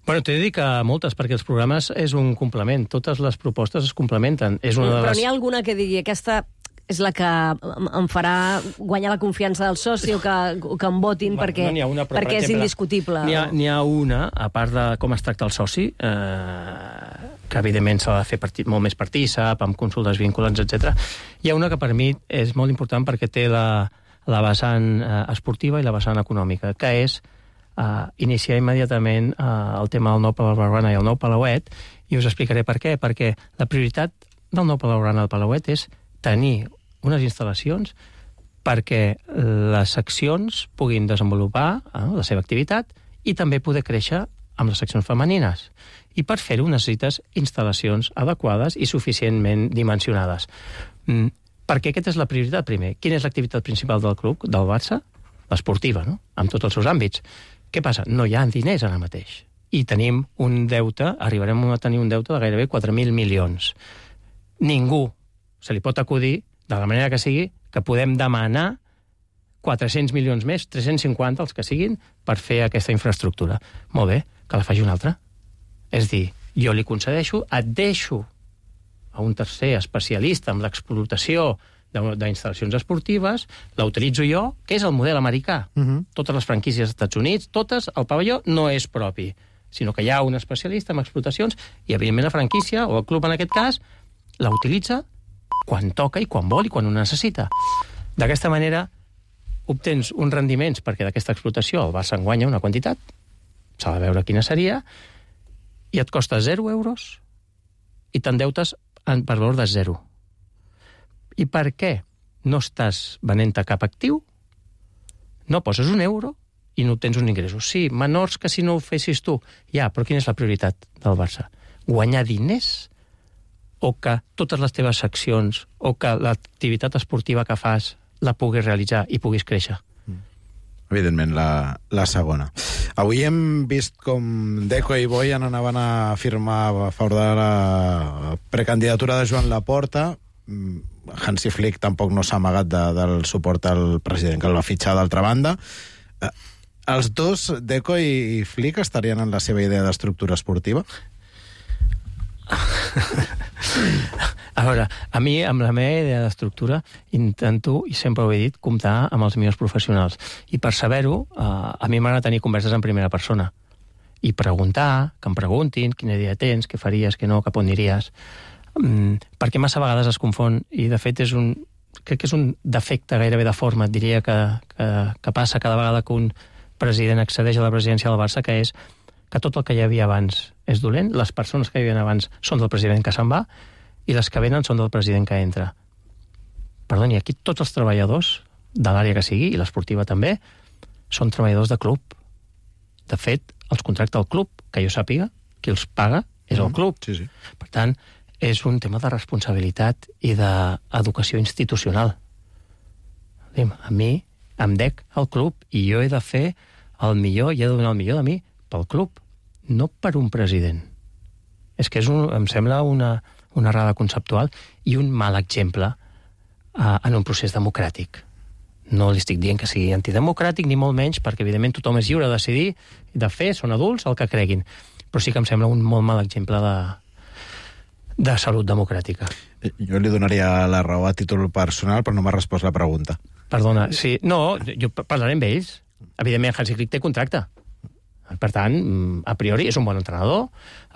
Bueno, t'he de dir que moltes, perquè els programes és un complement. Totes les propostes es complementen. És una de les... Però n'hi ha alguna que digui, aquesta és la que em farà guanyar la confiança del soci o que, o que em votin, bueno, perquè, no una, però, perquè per exemple, és indiscutible. N'hi ha, n'hi ha una, a part de com es tracta el soci, eh, que evidentment s'ha de fer partit, molt més partícip, amb consultes vinculants, etcètera. Hi ha una que per mi és molt important perquè té la, la vessant eh, esportiva i la vessant econòmica, que és eh, iniciar immediatament eh, el tema del nou Palau Blaugrana i el nou Palauet, i us explicaré per què. Perquè la prioritat del nou Palau Blaugrana i el Palauet és tenir unes instal·lacions perquè les seccions puguin desenvolupar eh, la seva activitat i també poder créixer amb les seccions femenines. I per fer-ho necessites instal·lacions adequades i suficientment dimensionades. Mm, perquè aquesta és la prioritat, primer. Quina és l'activitat principal del club, del Barça? l'esportiva, no? Amb tots els seus àmbits. Què passa? No hi ha diners ara mateix. I tenim un deute, arribarem a tenir un deute de gairebé quatre mil milions. Ningú se li pot acudir, de la manera que sigui, que podem demanar quatre-cents milions més, tres-cents cinquanta, els que siguin, per fer aquesta infraestructura. Molt bé, que la faci un altre. És dir, jo li concedeixo, et deixo a un tercer especialista en l'explotació d'instal·lacions esportives, la utilitzo jo, que és el model americà. Uh-huh. Totes les franquícies dels Estats Units, totes, el pavelló no és propi, sinó que hi ha un especialista en explotacions i, evidentment, la franquícia, o el club en aquest cas, la utilitza quan toca i quan vol i quan ho necessita. D'aquesta manera obtens uns rendiments, perquè d'aquesta explotació el Barça en guanya una quantitat, s'ha de veure quina seria, i et costa zero euros i t'endeutes per valor de zero. I per què no estàs venent-te cap actiu, no poses un euro i no obtens uns ingressos? Sí, menors que si no ho fessis tu. Ja, però quina és la prioritat del Barça? Guanyar diners o que totes les teves seccions o que l'activitat esportiva que fas la puguis realitzar i puguis créixer? Evidentment, la, la segona. Avui hem vist com Deco i Boi anaven a firmar a favor de la precandidatura de Joan Laporta. Hansi Flick tampoc no s'ha amagat de, del suport al president, que el va fitxar d'altra banda. Eh, els dos, Deco i Flick, estarien en la seva idea d'estructura esportiva? A veure, a mi, amb la meva idea d'estructura, intento, i sempre ho he dit, comptar amb els millors professionals. I per saber-ho, eh, a mi m'agrada tenir converses en primera persona. I preguntar, que em preguntin quina idea tens, què faries, què no, cap on aniries. Mm, perquè massa vegades es confon, i de fet és un, crec que és un defecte gairebé de forma, et diria, que, que, que passa cada vegada que un president accedeix a la presidència del Barça, que és que tot el que hi havia abans és dolent, les persones que hi havia abans són del president que se'n va, i les que venen són del president que entra. Perdoni, aquí tots els treballadors de l'àrea que sigui, i l'esportiva també, són treballadors de club. De fet, els contracta el club, que jo sàpiga, qui els paga és el club. Sí, sí. Per tant, és un tema de responsabilitat i d'educació institucional. A mi em dec al club i jo he de fer el millor i he de donar el millor de mi pel club, no per un president. És que és un, em sembla una, una errada conceptual i un mal exemple uh, en un procés democràtic. No li estic dient que sigui antidemocràtic, ni molt menys, perquè evidentment tothom és lliure de decidir i de fer, són adults, el que creguin. Però sí que em sembla un molt mal exemple de, de salut democràtica. Jo li donaria la raó a títol personal, però no m'ha respost la pregunta. Perdona, sí, no, jo parlaré amb ells. Evidentment, Hansi Flick té contracte. Per tant, a priori, és un bon entrenador,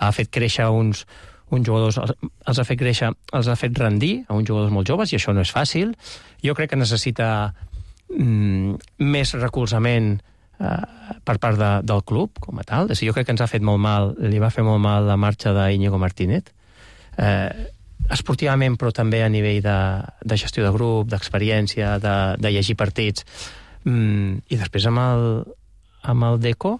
ha fet créixer uns, uns jugadors, els ha fet créixer, els ha fet rendir a uns jugadors molt joves, i això no és fàcil. Jo crec que necessita mm, més recolzament eh, per part de, del club, com a tal. Jo crec que ens ha fet molt mal, li va fer molt mal la marxa d'Íñigo Martínez, eh, esportivament, però també a nivell de, de gestió de grup, d'experiència, de, de llegir partits. Mm, I després amb el, amb el Deco,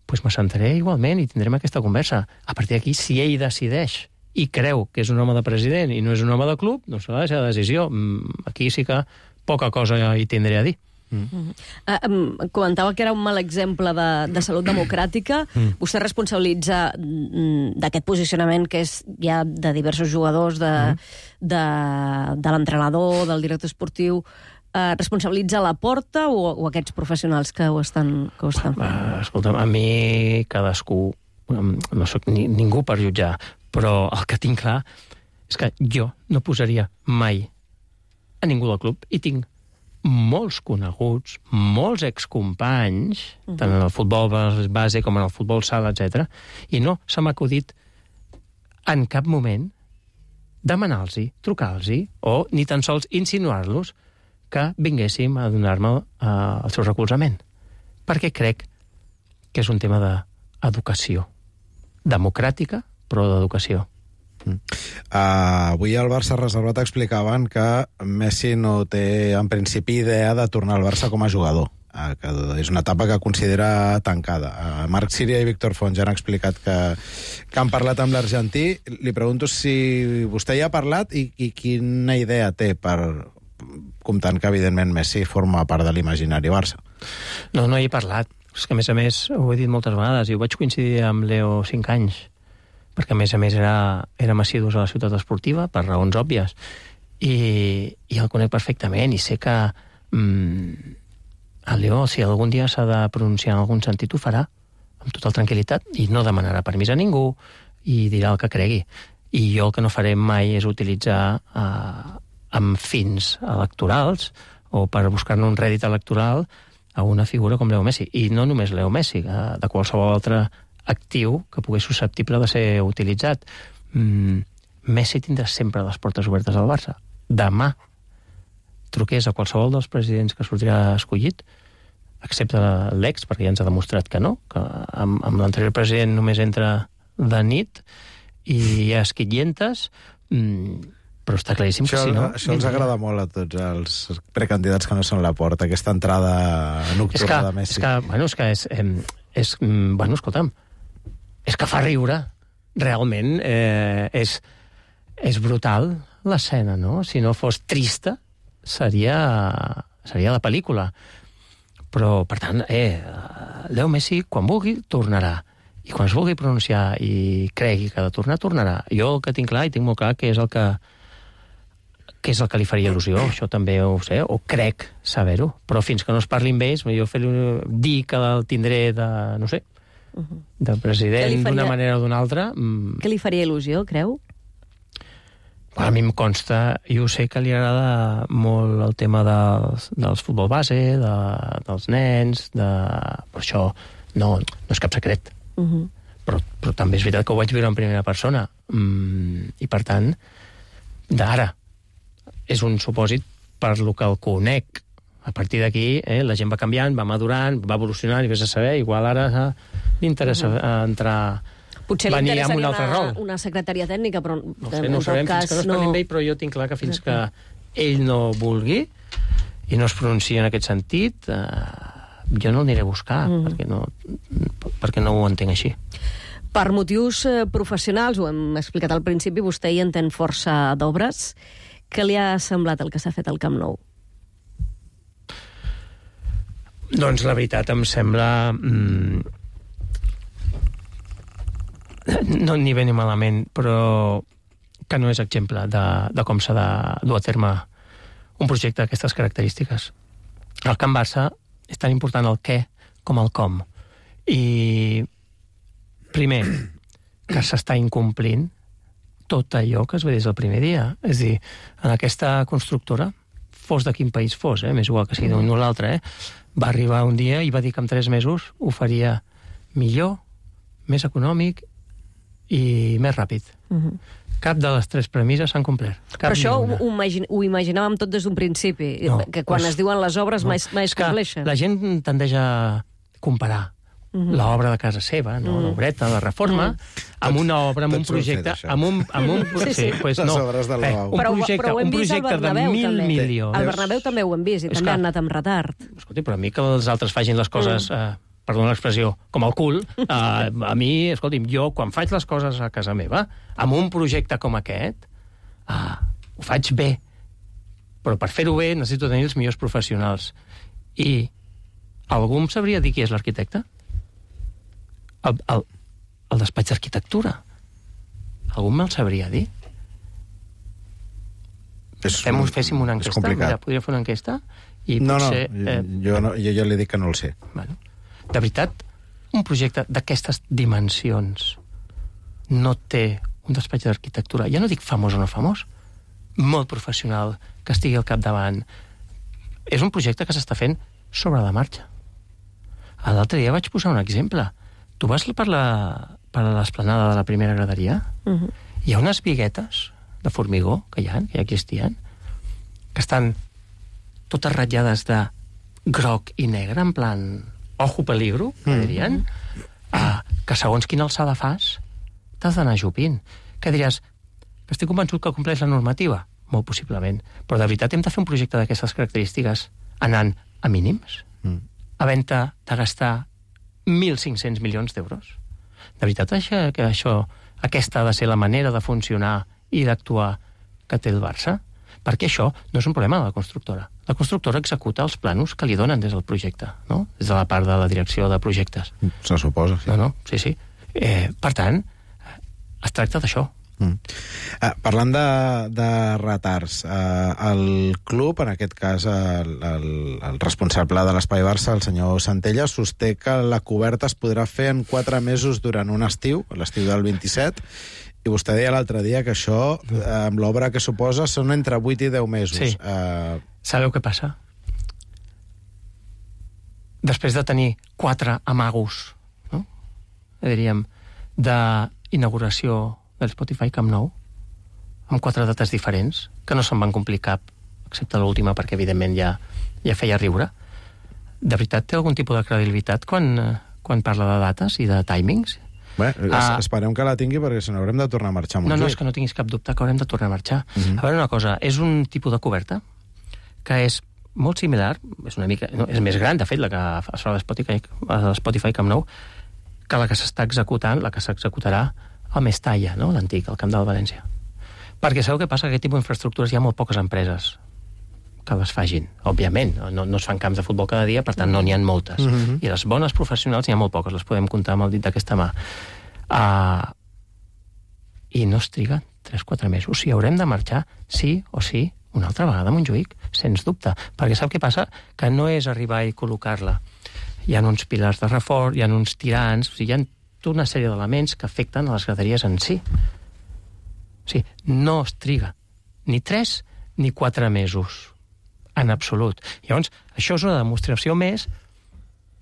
pues me sentaré igualment i tindrem aquesta conversa. A partir d'aquí, si ell decideix i creu que és un home de president i no és un home de club, doncs serà la seva decisió. Aquí sí que poca cosa hi tindré a dir. Mm. Uh, um, comentava que era un mal exemple de, de salut democràtica. Mm. Vostè responsabilitza mm, d'aquest posicionament que és ja de diversos jugadors, de, mm. de, de l'entrenador, del director esportiu. Uh, responsabilitza Laporta o, o aquests professionals que ho estan, que ho estan fent? Uh, escolta'm, a mi cadascú, no soc ni, ningú per jutjar, però el que tinc clar és que jo no posaria mai a ningú del club, i tinc molts coneguts, molts excompanys, uh-huh. tant en el futbol base com en el futbol sala, etcètera, i no se m'ha acudit en cap moment demanar-los, trucar-los, o ni tan sols insinuar-los que vinguéssim a donar-me uh, el seu recolzament. Perquè crec que és un tema d'educació. Democràtica, però d'educació. Mm. Uh, avui al Barça Reservat explicaven que Messi no té, en principi, idea de tornar al Barça com a jugador. Uh, que és una etapa que considera tancada. Uh, Marc Síria i Víctor Font ja han explicat que, que han parlat amb l'argentí. Li pregunto si vostè ja ha parlat i, i quina idea té per comptant que, evidentment, Messi forma part de l'imaginari Barça. No, no hi he parlat. És que, a més a més, ho he dit moltes vegades, i ho vaig coincidir amb Leo cinc anys, perquè, a més a més, era, érem assidus a la ciutat esportiva, per raons òbvies, i, i el conec perfectament, i sé que mm, el Leo, si algun dia s'ha de pronunciar en algun sentit, ho farà, amb total tranquil·litat, i no demanarà permís a ningú, i dirà el que cregui. I jo el que no faré mai és utilitzar eh, amb fins electorals, o per buscar-ne un rèdit electoral, a una figura com Leo Messi. I no només Leo Messi, de qualsevol altre actiu que pogués susceptible de ser utilitzat. Mm, Messi tindrà sempre les portes obertes al Barça. Demà truqués a qualsevol dels presidents que sortirà escollit, excepte l'ex, perquè ja ens ha demostrat que no, que amb, amb l'anterior president només entra de nit i hi ha esquitllentes, mm, però està claríssim això, que si no... Això els agrada molt a tots els precandidats que no són a la porta, aquesta entrada nocturna és que, de Messi. És que, bueno, és que és, és, bueno, escolta'm, és que fa riure, realment, eh, és, és brutal l'escena, no? Si no fos trista, seria, seria la pel·lícula. Però, per tant, eh, Leo Messi, quan vulgui, tornarà. I quan es vulgui pronunciar i cregui que ha de tornar, tornarà. Jo el que tinc clar, i tinc molt clar, que és el que que és el que li faria il·lusió, això també ho sé, o crec saber-ho, però fins que no es parli amb ells, jo fer-li dir que el tindré de, no sé, de president d'una manera o d'una altra... Mm, què li faria il·lusió, creu? a mi em consta, i ho sé que li agrada molt el tema dels, dels futbol base, de, dels nens, de... per això no, no és cap secret. Uh-huh. Però, però també és veritat que ho vaig viure en primera persona. Mm, I, per tant, d'ara, és un supòsit per lo que el conec. A partir d'aquí, eh, la gent va canviant, va madurant, va evolucionant, i vés a saber, igual ara eh, li interessa uh-huh. entrar... Potser li interessaria un altre una, rol. una secretaria tècnica, però no sé, no ho sabem, cas, fins que no es parli amb ell, però jo tinc clar que fins que ell no vulgui i no es pronuncia en aquest sentit, eh, jo no el aniré a buscar, mm. perquè, no, perquè no ho entenc així. Per motius eh, professionals, ho hem explicat al principi, vostè hi entén força d'obres. Què li ha semblat el que s'ha fet al Camp Nou? Doncs la veritat em sembla... Mm, no ni bé ni malament, però que no és exemple de, de com s'ha de dur a terme un projecte d'aquestes característiques. El Camp Barça és tan important el què com el com. I, primer, que s'està incomplint tot allò que es ve des del primer dia. És a dir, en aquesta constructora, fos de quin país fos, eh, més igual que sigui d'un o l'altre, eh, va arribar un dia i va dir que en tres mesos ho faria millor, més econòmic i més ràpid. Uh-huh. Cap de les tres premisses s'han complert. Cap Però això ho, ho, imagine, ho imaginàvem tot des d'un principi, no, que quan pues, es diuen les obres no, mai, mai es compleixen. La gent tendeix a comparar uh-huh. l'obra de casa seva, no? uh-huh. l'obreta, la reforma, uh-huh. amb una obra, amb un projecte... Fet, amb un, amb un, sí, sí. Sí, pues, no. Les obres del Lavabo. Un projecte, però, però un projecte de mil també. milions. Al Bernabéu també ho hem vist, i és també que, han anat amb retard. Escolti, però a mi que els altres facin les coses... Uh. Eh, perdona l'expressió, com el cul, eh, a mi, escolti'm, jo, quan faig les coses a casa meva, amb un projecte com aquest, eh, ho faig bé. Però per fer-ho bé necessito tenir els millors professionals. I algú em sabria dir qui és l'arquitecte? El, el, el despatx d'arquitectura. Algú me'l sabria dir? És, Fem, féssim una enquesta? Mira, podria fer una enquesta? I no, potser, no, eh, jo, no, jo ja li dic que no el sé. Bueno, de veritat, un projecte d'aquestes dimensions no té un despatx d'arquitectura, ja no dic famós o no famós, molt professional, que estigui al capdavant. És un projecte que s'està fent sobre la marxa. L'altre dia vaig posar un exemple. Tu vas per la per l'esplanada de la primera graderia? Uh-huh. Hi ha unes viguetes de formigó que hi ha, que ja existien, que estan totes ratllades de groc i negre, en plan ojo peligro, que dirien, mm. ah, que segons quina alçada fas, t'has d'anar jupint. Que diràs, que estic convençut que compleix la normativa? Molt possiblement. Però de veritat hem de fer un projecte d'aquestes característiques anant a mínims? Mm. Havent-te de gastar mil cinc-cents milions d'euros? De veritat això, que això, aquesta ha de ser la manera de funcionar i d'actuar que té el Barça? perquè això no és un problema de la constructora. La constructora executa els planos que li donen des del projecte, no? Des de la part de la direcció de projectes. Se suposa, sí. No, no, sí, sí. Eh, per tant, es tracta d'això. Mm. Uh, parlant de, de retards, uh, el club, en aquest cas el, el, el responsable de l'Espai Barça, el senyor Santella, sosté que la coberta es podrà fer en quatre mesos durant un estiu, l'estiu del vint-i-set, i vostè deia l'altre dia que això, uh, amb l'obra que suposa, són entre vuit i deu mesos. Sí. Uh... Sabeu què passa? Després de tenir quatre amagos, no? diríem, d'inauguració del Spotify Camp Nou, amb quatre dates diferents, que no se'n van complir cap, excepte l'última, perquè evidentment ja, ja feia riure. De veritat, té algun tipus de credibilitat quan, quan parla de dates i de timings? Bé, uh, esperem que la tingui, perquè si no haurem de tornar a marxar a Montjuïc. No, no, és que no tinguis cap dubte que haurem de tornar a marxar. Uh Mhm. -huh. A veure una cosa, és un tipus de coberta que és molt similar, és una mica, no, és més gran, de fet, la que es fa a l'Spotify, a l'Spotify Camp Nou, que la que s'està executant, la que s'executarà al Mestalla, no? l'antic, al Camp del València. Perquè sabeu què passa? Que aquest tipus d'infraestructures hi ha molt poques empreses que les fagin. Òbviament, no, no es fan camps de futbol cada dia, per tant no n'hi ha moltes. Mhm. I les bones professionals n'hi ha molt poques, les podem comptar amb el dit d'aquesta mà. Uh, I no es triga tres o quatre mesos. O sigui, haurem de marxar, sí o sí, una altra vegada a Montjuïc, sens dubte. Perquè sap què passa? Que no és arribar i col·locar-la. Hi ha uns pilars de reforç, hi ha uns tirants, o sigui, hi ha tota una sèrie d'elements que afecten a les graderies en si. O sigui, no es triga ni tres ni quatre mesos. En absolut. Llavors, això és una demostració més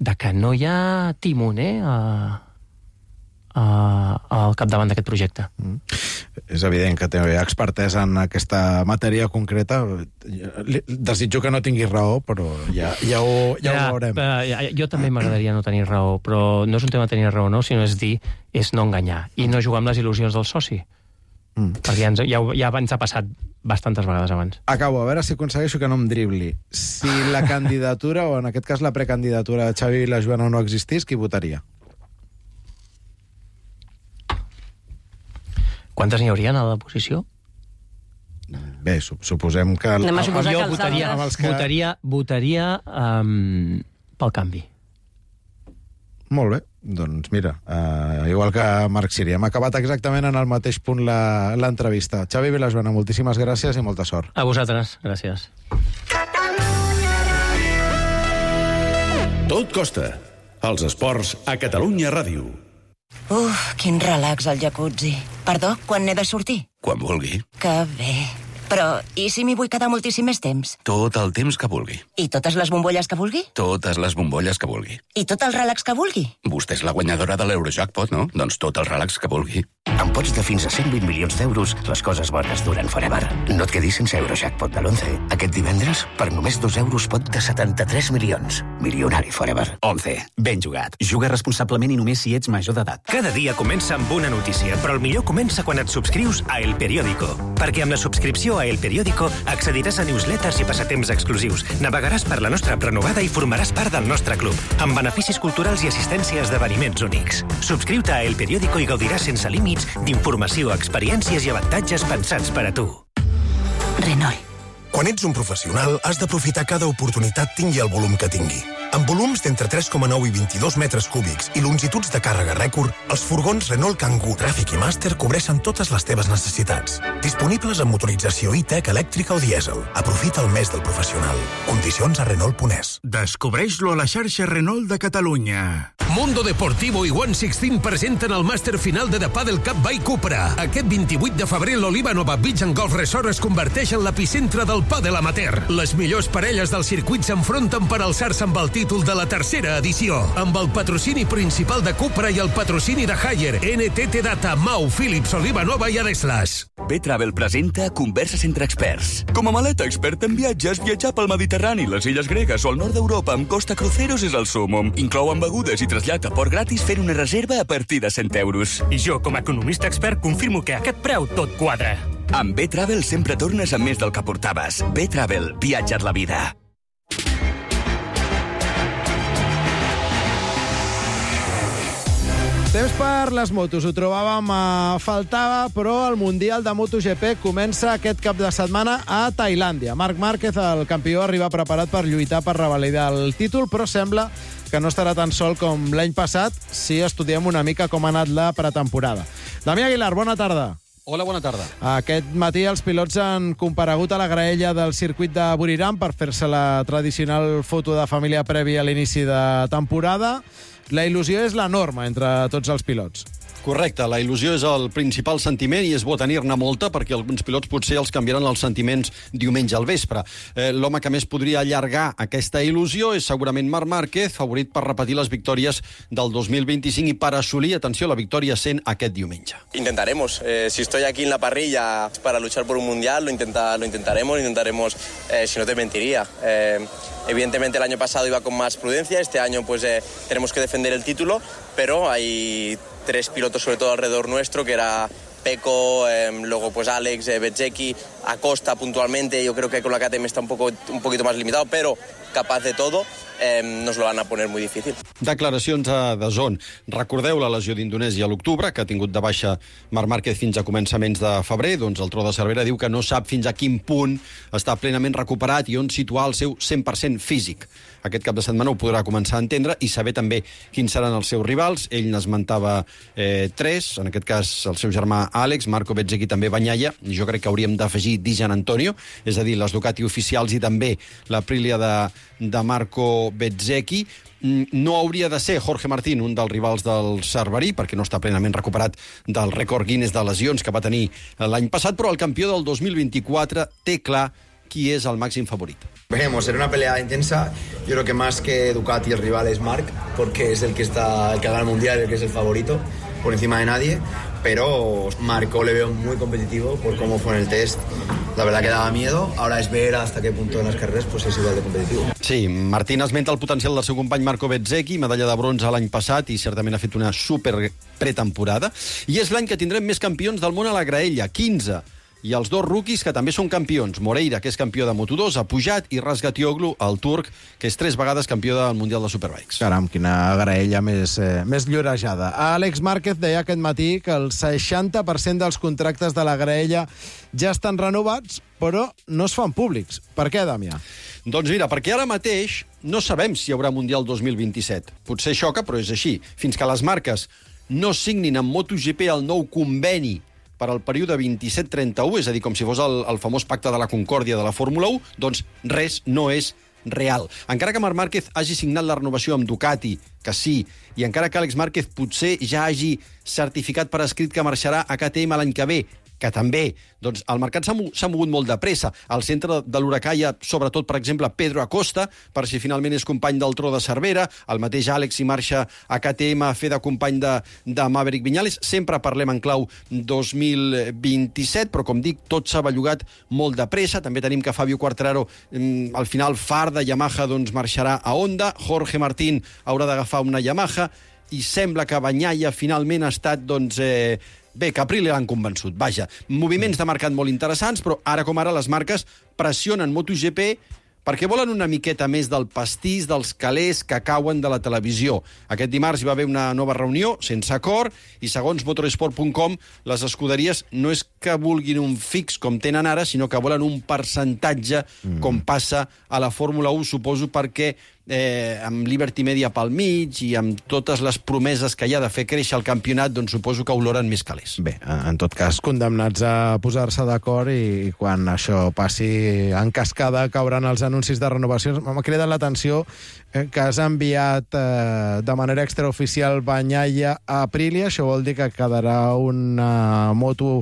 de que no hi ha timoner a, a, al capdavant d'aquest projecte. Mm. És evident que té expertesa en aquesta matèria concreta. Desitjo que no tingui raó, però ja, ja, ho, ja, ja ho veurem. Ja, jo també m'agradaria no tenir raó, però no és un tema de tenir raó, no, sinó és dir, és no enganyar, i no jugar amb les il·lusions del soci. Mm. Perquè ja, ens, ja, ja ens ha passat bastantes vegades abans. Acabo, a veure si aconsegueixo que no em dribli. Si la candidatura, o en aquest cas la precandidatura de Xavi i la Joana no existís, qui votaria? Quantes n'hi haurien a l'oposició? Bé, suposem que... Anem a suposar jo que els votaria, altres... que... votaria, votaria um, pel canvi. Molt bé, doncs mira, uh, igual que Marc Siri, hem acabat exactament en el mateix punt l'entrevista. Xavi Vilajoana, moltíssimes gràcies i molta sort. A vosaltres, gràcies. Tot costa. Els esports a Catalunya Ràdio. Uf, quin relax al jacuzzi. Perdó, quan n'he de sortir? Quan vulgui. Que bé. Però, i si m'hi vull quedar moltíssim més temps? Tot el temps que vulgui. I totes les bombolles que vulgui? Totes les bombolles que vulgui. I tot el relax que vulgui? Vostè és la guanyadora de l'Eurojackpot, no? Doncs tot el relax que vulgui. Amb pots de fins a cent vint milions d'euros, les coses bones duren forever. No et quedis sense Eurojackpot de l'once. Aquest divendres, per només dos euros, pot de setanta-tres milions. Milionari forever. once. Ben jugat. Juga responsablement i només si ets major d'edat. Cada dia comença amb una notícia, però el millor comença quan et subscrius a El Periódico. Perquè amb la subscripció a El Periódico accediràs a newsletters i passatemps exclusius, navegaràs per la nostra app renovada i formaràs part del nostre club, amb beneficis culturals i assistència a esdeveniments únics. Subscriu-te a El Periódico i gaudiràs sense límits d'informació, experiències i avantatges pensats per a tu. Renault. Quan ets un professional, has d'aprofitar cada oportunitat tingui el volum que tingui. Amb volums d'entre tres coma nou i vint-i-dos metres cúbics i longituds de càrrega rècord, els furgons Renault Kangoo, Tràfic i Master cobreixen totes les teves necessitats. Disponibles amb motorització e-tech, elèctrica o dièsel. Aprofita el mes del professional. Condicions a Renault punt es. Descobreix-lo a la xarxa Renault de Catalunya. Mundo Deportivo i One Sixteen presenten el màster final de The Padel Cup by Cupra. Aquest vint-i-vuit de febrer l'Oliva Nova Beach and Golf Resort es converteix en l'epicentre del pàdel amateur. Les millors parelles del circuit s'enfronten per alçar-se amb el títol de la tercera edició. Amb el patrocini principal de Cupra i el patrocini de Haier, N T T Data, Mau, Philips, Oliva Nova i Adeslas. B-Travel presenta Converses entre experts. Com a maleta experta en viatges, viatjar pel Mediterrani, les illes gregues o el nord d'Europa amb Costa Cruceros és el súmmum. Inclouen begudes i trasllat a port gratis fent una reserva a partir de cent euros. I jo, com a economista expert, confirmo que a aquest preu tot quadra. Amb B-Travel sempre tornes amb més del que portaves. B-Travel, viatja't la vida. Temps per les motos, ho trobàvem a faltar, però el Mundial de MotoGP comença aquest cap de setmana a Tailàndia. Marc Márquez, el campió, arriba preparat per lluitar per revalidar el títol, però sembla que no estarà tan sol com l'any passat si estudiem una mica com ha anat la pretemporada. Damià Aguilar, bona tarda. Hola, bona tarda. Aquest matí els pilots han comparegut a la graella del circuit de Buriram per fer-se la tradicional foto de família prèvia a l'inici de temporada. La il·lusió és la norma entre tots els pilots. Correcte, la il·lusió és el principal sentiment i és bo tenir-ne molta perquè alguns pilots potser els canviaran els sentiments diumenge al vespre. Eh, L'home que més podria allargar aquesta il·lusió és segurament Marc Márquez, favorit per repetir les victòries del dos mil vint-i-cinc i per assolir, atenció, la victòria cent aquest diumenge. Intentaremos. Eh, si estoy aquí en la parrilla para luchar por un mundial, lo, intenta, lo intentaremos, intentaremos, eh, si no te mentiría. Eh, evidentemente el año pasado iba con más prudencia, este año pues eh, tenemos que defender el título, pero hay tres pilotos sobre todo alrededor nuestro, que era Pecco, eh, luego pues Alex, eh, Bezzecchi, Acosta puntualmente. Yo creo que con la K T M está un, poco, un poquito más limitado, pero capaz de todo. Eh, nos lo van a poner muy difícil. Declaracions a D A Z N. Recordeu la lesió d'Indonèsia a l'octubre, que ha tingut de baixa Marc Márquez fins a començaments de febrer. Doncs el Tro de Cervera diu que no sap fins a quin punt està plenament recuperat i on situar el seu cent per cent físic. Aquest cap de setmana ho podrà començar a entendre i saber també quins seran els seus rivals. Ell n'esmentava eh, tres, en aquest cas el seu germà Àlex, Marco Bezzecchi, també Bagnaia. Jo crec que hauríem d'afegir Di Gianantonio, és a dir, les Ducati oficials i també l'Aprilia de, de Marco Bezzecchi. No hauria de ser Jorge Martín un dels rivals del Cerverí, perquè no està plenament recuperat del rècord Guinness de lesions que va tenir l'any passat, però el campió del dos mil vint-i-quatre té clar qui és el màxim favorit. Veremos, será una pelea intensa. Yo creo que más que Ducati el rival es Marc, porque es el que está, el que gana el mundial, el que es el favorito, por encima de nadie. Pero Marco le veo muy competitivo por cómo fue en el test. La verdad que daba miedo. Ahora es ver hasta qué punto en las carreras pues es igual de competitivo. Sí, Martín esmenta el potencial del seu company Marco Bezzecchi, medalla de bronze l'any passat i certament ha fet una super pretemporada. I és l'any que tindrem més campions del món a la graella, quinze. I els dos rookies que també són campions. Moreira, que és campió de Moto dos, ha pujat, i Razgatlioglu, el turc, que és tres vegades campió del Mundial de Superbikes. Caram, quina graella més, eh, més llorejada. Àlex Márquez deia aquest matí que el seixanta per cent dels contractes de la graella ja estan renovats, però no es fan públics. Per què, Damià? Doncs mira, perquè ara mateix no sabem si hi haurà Mundial dos mil vint-i-set. Potser xoca, però és així. Fins que les marques no signin amb MotoGP el nou conveni per al període vint-i-set trenta-u, és a dir, com si fos el, el famós pacte de la Concòrdia de la Fórmula u, doncs res no és real. Encara que Marc Márquez hagi signat la renovació amb Ducati, que sí, i encara que Àlex Márquez potser ja hagi certificat per escrit que marxarà a K T M l'any que ve, que també, doncs el mercat s'ha mogut molt de pressa. Al centre de l'huracà hi ha, sobretot, per exemple, Pedro Acosta, per si finalment és company del Tro de Cervera, el mateix Àlex hi marxa a K T M a fer de company de, de Maverick Viñales. Sempre parlem en clau dos mil vint-i-set, però, com dic, tot s'ha bellugat molt de pressa. També tenim que Fabio Quartararo, al final, far de Yamaha, doncs marxarà a Honda. Jorge Martín haurà d'agafar una Yamaha, i sembla que Bagnaia finalment ha estat, doncs, eh, bé, que Aprilia l'han convençut. Vaja, moviments de mercat molt interessants, però ara com ara les marques pressionen MotoGP perquè volen una miqueta més del pastís dels calés que cauen de la televisió. Aquest dimarts hi va haver una nova reunió, sense acord, i segons motorsport punt com, les escuderies no és que vulguin un fix com tenen ara, sinó que volen un percentatge, mm. com passa a la Fórmula u, suposo, perquè eh, amb Liberty Media pel mig i amb totes les promeses que hi ha de fer créixer el campionat, doncs suposo que oloren més calés. Bé, en tot cas, condemnats a posar-se d'acord, i quan això passi en cascada cauran els anuncis de renovacions. M'ha cridat l'atenció eh, que has enviat eh, de manera extraoficial Bagnaia a Aprilia. Això vol dir que quedarà una moto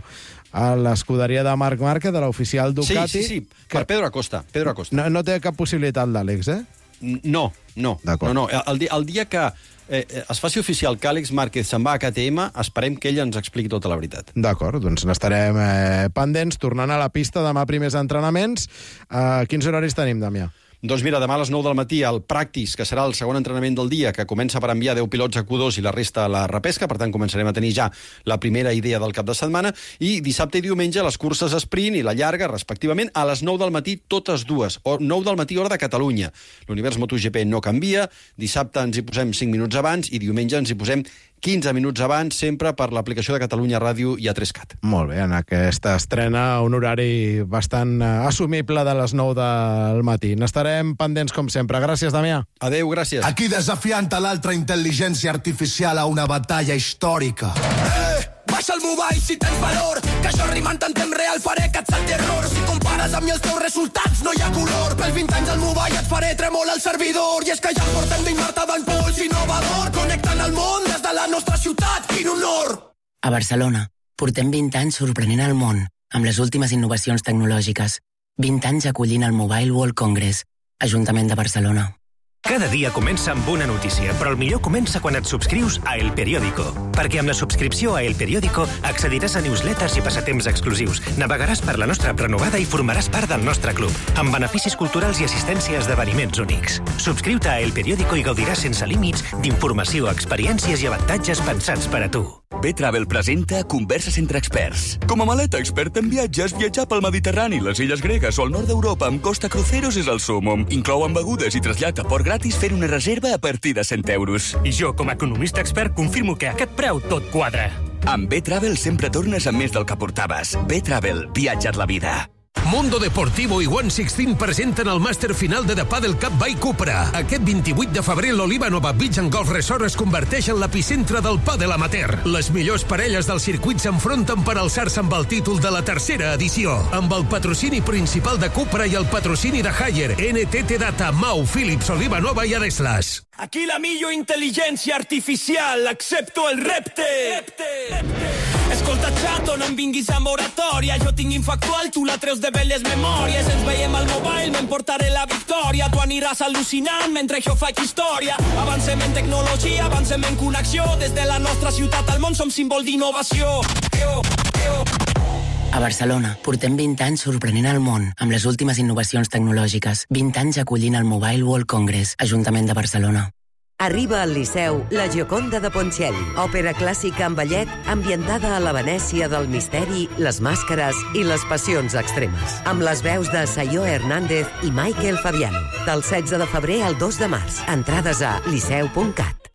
a l'escuderia de Marc Márquez, de l'oficial Ducati. Sí, sí, sí, per Pedro Acosta. Pedro Acosta. No, no té cap possibilitat d'Àlex, eh? No, no. no, no. El, dia, el dia que eh, es faci oficial que Àlex Márquez se'n va a K T M, esperem que ell ens expliqui tota la veritat. D'acord, doncs n'estarem eh, pendents. Tornant a la pista, demà primers entrenaments. Eh, quins horaris tenim, Damià? Doncs mira, demà a les nou del matí el Practice, que serà el segon entrenament del dia, que comença per enviar deu pilots a Q dos i la resta a la repesca, per tant començarem a tenir ja la primera idea del cap de setmana, i dissabte i diumenge les curses sprint i la llarga, respectivament, a les nou del matí totes dues, o nou del matí hora de Catalunya. L'univers MotoGP no canvia, dissabte ens hi posem cinc minuts abans i diumenge ens hi posem quinze minuts abans, sempre per l'aplicació de Catalunya Ràdio i A tres cat. Molt bé, en aquesta estrena un horari bastant assumible de les nou del matí. N'estarem pendents com sempre. Gràcies, Damià. Adéu, gràcies. Aquí desafiant a l'altra intel·ligència artificial a una batalla històrica. Eh! Baixa el mobile si tens valor, que això rimant en temps real faré que et salti error. Si compares amb mi els teus resultats no hi ha color. Pels vint anys al mobile et faré tremolar el servidor. I és que ja portem vint Marta d'impuls innovador, connectant el món des de la nostra ciutat. Quin honor! A Barcelona portem vint anys sorprenent el món amb les últimes innovacions tecnològiques. vint anys acollint el Mobile World Congress, Ajuntament de Barcelona. Cada dia comença amb una notícia, però el millor comença quan et subscrius a El Periódico. Perquè amb la subscripció a El Periódico accediràs a newsletters i passatemps exclusius, navegaràs per la nostra prenovada i formaràs part del nostre club, amb beneficis culturals i assistència a esdeveniments únics. Subscriu-te a El Periódico i gaudiràs sense límits d'informació, experiències i avantatges pensats per a tu. B-Travel presenta Converses entre experts. Com a maleta experta en viatges, viatjar pel Mediterrani, les illes gregues o el nord d'Europa amb Costa Cruceros és el súmmum. Inclouen begudes i trasllat a port gratis fent una reserva a partir de cent euros. I jo, com a economista expert, confirmo que a aquest preu tot quadra. Amb B-Travel sempre tornes amb més del que portaves. B-Travel, viatja't la vida. Mundo Deportivo i one sixteen presenten el màster final de The Padel Cup by Cupra. Aquest vint-i-vuit de febrer l'Oliva Nova Beach and Golf Resort es converteix en l'epicentre del pàdel amateur. Les millors parelles del circuit s'enfronten per alçar-se amb el títol de la tercera edició. Amb el patrocini principal de Cupra i el patrocini de Haier, N T T Data, Mau, Philips, Oliva Nova i Adeslas. Aquí la millor intel·ligència artificial, accepto el repte. repte. Escolta, xato, no em vinguis a moratòria. Jo tinc infactual, tu la treus de belles memòries. Ens veiem al mobile, m'emportaré la victòria. Tu aniràs al·lucinant mentre jo faig història. Avancem en tecnologia, avancem en connexió. Des de la nostra ciutat al món som símbol d'innovació. A Barcelona portem vint anys sorprenent el món amb les últimes innovacions tecnològiques. vint anys acollint el Mobile World Congress, Ajuntament de Barcelona. Arriba al Liceu La Gioconda de Ponchielli, òpera clàssica en ballet ambientada a la Venècia del misteri, les màscares i les passions extremes. Amb les veus de Sayo Hernández i Michael Fabiano. Del setze de febrer al dos de març. Entrades a liceu punt cat.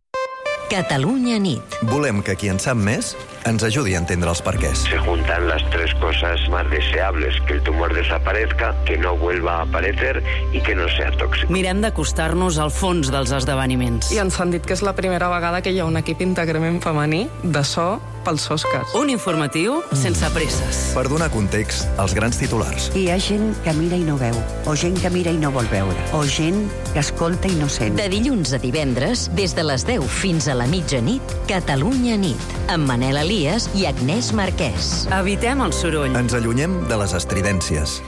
Catalunya nit. Volem que qui en sap més ens ajudi a entendre els perquès. Se juntan las tres cosas más deseables, que el tumor desaparezca, que no vuelva a aparecer y que no sea tóxico. Mirem d'acostar-nos al fons dels esdeveniments. I ens han dit que és la primera vegada que hi ha un equip íntegrament femení de so pels Oscars. Un informatiu sense presses. Per donar context als grans titulars. Hi ha gent que mira i no veu, o gent que mira i no vol veure, o gent que escolta i no sent. De dilluns a divendres, des de les deu fins a la mitjanit, Catalunya nit, amb Manel Elias i Agnès Marquès. Evitem el soroll. Ens allunyem de les estridències.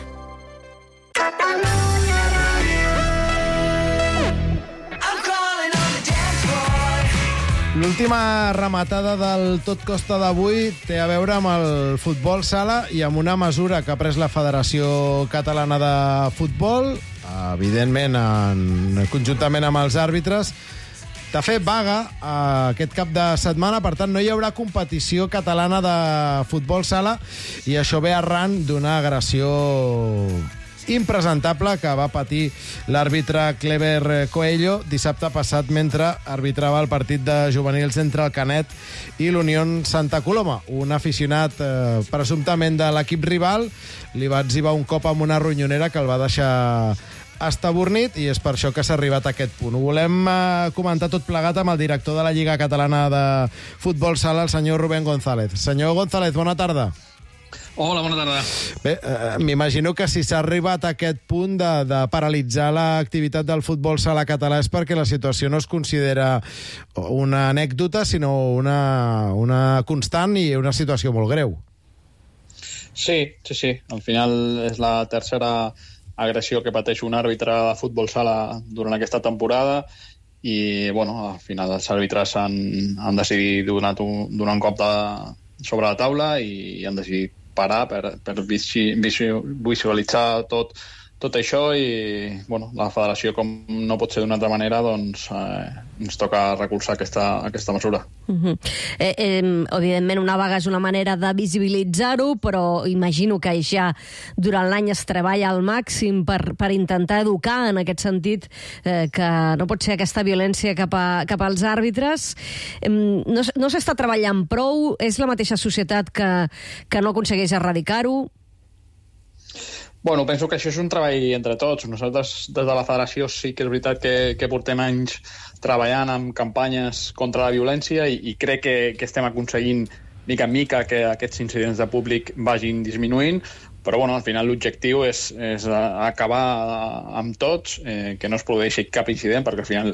L'última rematada del Tot Costa d'avui té a veure amb el futbol sala i amb una mesura que ha pres la Federació Catalana de Futbol, evidentment en, conjuntament amb els àrbitres, de fer vaga aquest cap de setmana. Per tant, no hi haurà competició catalana de futbol sala i això ve arran d'una agressió impresentable que va patir l'àrbitre Clever Coelho dissabte passat mentre arbitrava el partit de juvenils entre el Canet i l'Unió Santa Coloma. Un aficionat eh, presumptament de l'equip rival li va etzibar un cop amb una ronyonera que el va deixar estabornit i és per això que s'ha arribat a aquest punt. Ho volem eh, comentar tot plegat amb el director de la Lliga Catalana de Futbol Sala, el senyor Rubén González. Senyor González, bona tarda. Hola, bona tarda. Bé, eh, m'imagino que si s'ha arribat a aquest punt de, de paralitzar l'activitat del futbol sala català és perquè la situació no es considera una anècdota, sinó una, una constant i una situació molt greu. Sí, sí, sí. Al final és la tercera agressió que pateix un àrbitre de futbol sala durant aquesta temporada i, bueno, al final els àrbitres han, han decidit donar un, donar un cop de, sobre la taula i han decidit parar per, per visualitzar tot tot això i bueno, la federació, com no pot ser d'una altra manera, doncs eh, ens toca recolzar aquesta, aquesta mesura. Uh-huh. eh, eh, evidentment, una vaga és una manera de visibilitzar-ho, però imagino que ja durant l'any es treballa al màxim per, per intentar educar en aquest sentit eh, que no pot ser aquesta violència cap, a, cap als àrbitres. Eh, no no s'està treballant prou? És la mateixa societat que, que no aconsegueix erradicar-ho? Bueno, penso que això és un treball entre tots. Nosaltres, des de la federació, sí que és veritat que, que portem anys treballant amb campanyes contra la violència i, i crec que, que estem aconseguint mica en mica que aquests incidents de públic vagin disminuint, però bueno, al final l'objectiu és, és acabar amb tots, eh, que no es produeixi cap incident, perquè al final,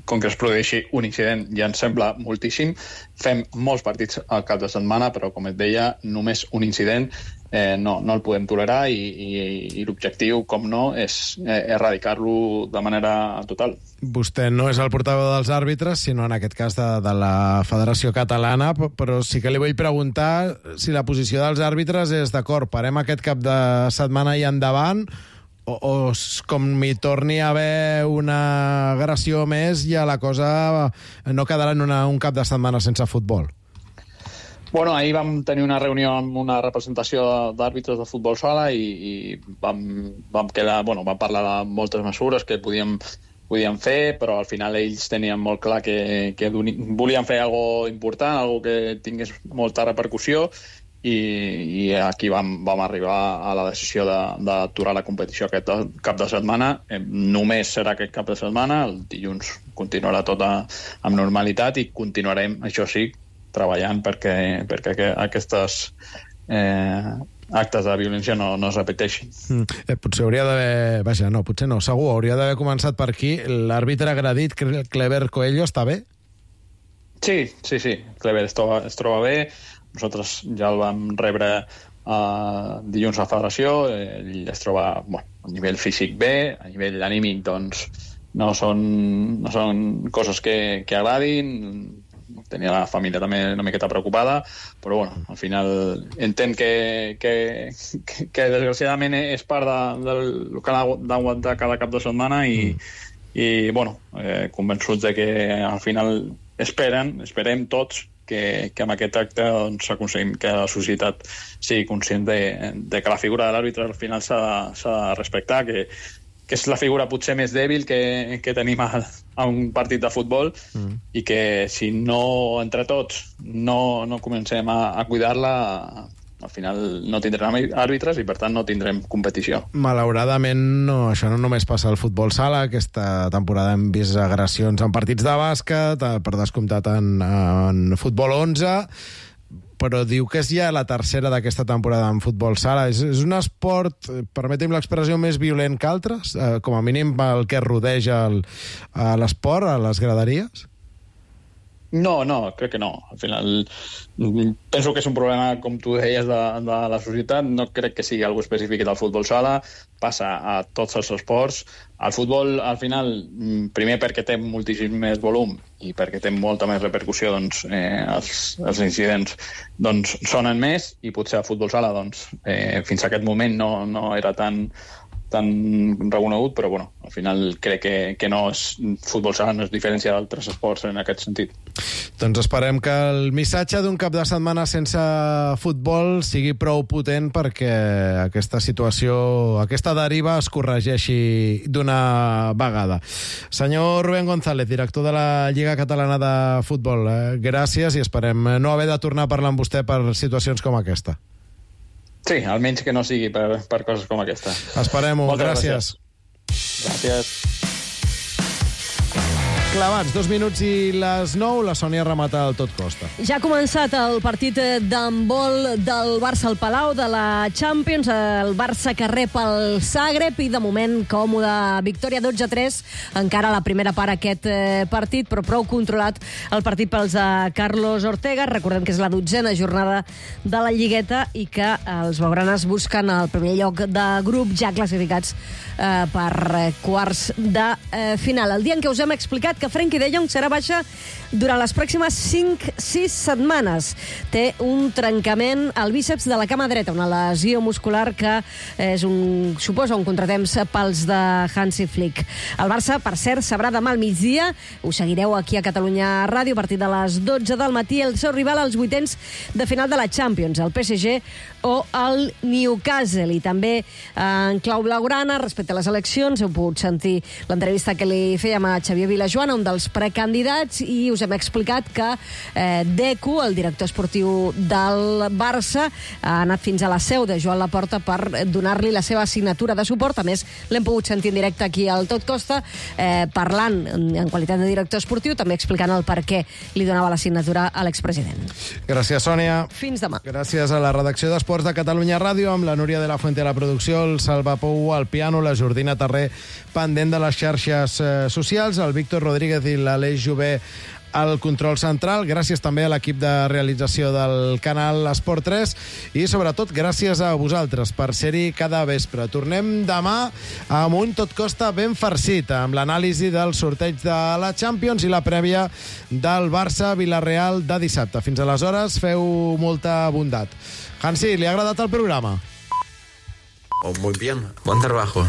com que es produeixi un incident ja ens sembla moltíssim. Fem molts partits al cap de setmana, però com et deia, només un incident eh, no, no el podem tolerar i, i, i l'objectiu, com no, és eh, erradicar-lo de manera total. Vostè no és el portaveu dels àrbitres, sinó en aquest cas de, de la Federació Catalana, però sí que li vull preguntar si la posició dels àrbitres és d'acord, parem aquest cap de setmana i endavant, o, o com hi torni a haver una agressió més ja la cosa no quedarà en una, un cap de setmana sense futbol. Bueno, ahir vam tenir una reunió amb una representació d'àrbitres de futbol sala i, i vam, vam, quedar, bueno, vam parlar de moltes mesures que podíem, podíem fer, però al final ells tenien molt clar que, que volien fer alguna cosa important, alguna que tingués molta repercussió, i, i aquí vam, vam arribar a la decisió d'aturar la competició aquest cap de setmana. Eh, només serà aquest cap de setmana, el dilluns continuarà tot a, amb normalitat i continuarem, això sí, treballant perquè, perquè aquestes eh, actes de violència no, no es repeteixin. Mm. Eh, potser hauria d'haver... Vaja, no, potser no, segur, hauria d'haver començat per aquí. L'àrbitre agredit, Clever Coelho, està bé? Sí, sí, sí. Clever es troba, es troba bé. Nosaltres ja el vam rebre uh, dilluns a la federació. Ell es troba bueno, a nivell físic bé, a nivell anímic, doncs, no són, no són coses que, que agradin. Tenia la família també una miqueta preocupada, però bueno, al final entenc que, que, que, que desgraciadament és part de, del que ha d'aguantar cada cap de setmana i, mm. i bueno, eh, convençuts de que al final esperen, esperem tots que, que amb aquest acte doncs, aconseguim que la societat sigui conscient de, de que la figura de l'àrbitre al final s'ha de, s'ha de respectar, que que és la figura potser més dèbil que, que tenim a, a un partit de futbol mm. i que si no, entre tots, no, no comencem a, a cuidar-la, al final no tindrem àrbitres i per tant no tindrem competició. Malauradament no, això no només passa al futbol sala. Aquesta temporada hem vist agressions en partits de bàsquet, per descomptat en, en futbol onze, però diu que és ja la tercera d'aquesta temporada en futbol sala. És, és un esport, permetem l'expressió, més violent que altres? Eh, com a mínim el que rodeja l'esport, a les graderies? No, no, crec que no. Al final, penso que és un problema, com tu deies, de, de la societat. No crec que sigui algo específic del futbol sala. Passa a tots els esports. El futbol, al final, primer perquè té moltíssim més volum i perquè té molta més repercussió, doncs, eh, els, els incidents doncs, sonen més i potser el futbol sala doncs, eh, fins a aquest moment no, no era tan tan reconegut, però bueno, al final crec que, que no és, futbol sala no és diferència d'altres esports en aquest sentit. Doncs esperem que el missatge d'un cap de setmana sense futbol sigui prou potent perquè aquesta situació, aquesta deriva es corregeixi d'una vegada. Senyor Rubén González, director de la Lliga Catalana de Futbol, eh, gràcies i esperem no haver de tornar a parlar amb vostè per situacions com aquesta. Sí, almenys que no sigui per, per coses com aquesta. Esperem-ho, gràcies. Gràcies. Gràcies. Clavats, dos minuts i les nou, la Sònia remata el tot costa. Ja ha començat el partit d'handbol del Barça al Palau de la Champions, el Barça que rep el Zagreb i de moment còmoda victòria dotze a tres, encara a la primera part aquest partit, però prou controlat el partit pels de Carlos Ortega. Recordem que és la dotzena jornada de la Lligueta i que els blaugranes busquen el primer lloc de grup ja classificats eh, per quarts de eh, final. El dia en què us hem explicat que Frenkie de Jong serà baixa durant les pròximes cinc sis setmanes. Té un trencament al bíceps de la cama dreta, una lesió muscular que és un, suposa un contratemps pels de Hansi Flick. El Barça, per cert, sabrà demà al migdia, ho seguireu aquí a Catalunya Ràdio, a partir de les dotze del matí, el seu rival als vuitens de final de la Champions, el P S G o el Newcastle. I també en clau blaugrana, respecte a les eleccions, heu pogut sentir l'entrevista que li fèiem a Xavier Vilajoana, un dels precandidats, i us hem explicat que eh, Deco, el director esportiu del Barça, ha anat fins a la seu de Joan Laporta per donar-li la seva assignatura de suport. A més, l'hem pogut sentir en directe aquí al Tot Costa, eh, parlant en qualitat de director esportiu, també explicant el per què li donava la signatura a l'expresident. Gràcies, Sònia. Fins demà. Gràcies a la redacció d'Esports de Catalunya Ràdio, amb la Núria de la Fuente a la producció, el Salva Pou al piano, la Jordina Tarré pendent de les xarxes eh, socials, el Víctor Rodríguez i l'Aleix Jové al control central. Gràcies també a l'equip de realització del canal Esport tres i, sobretot, gràcies a vosaltres per ser-hi cada vespre. Tornem demà amb un Tot Costa ben farcit, amb l'anàlisi del sorteig de la Champions i la prèvia del Barça-Villarreal de dissabte. Fins aleshores, feu molta bondat. Hansi, ¿le ha agradat el programa? Oh, muy bien. Buen trabajo.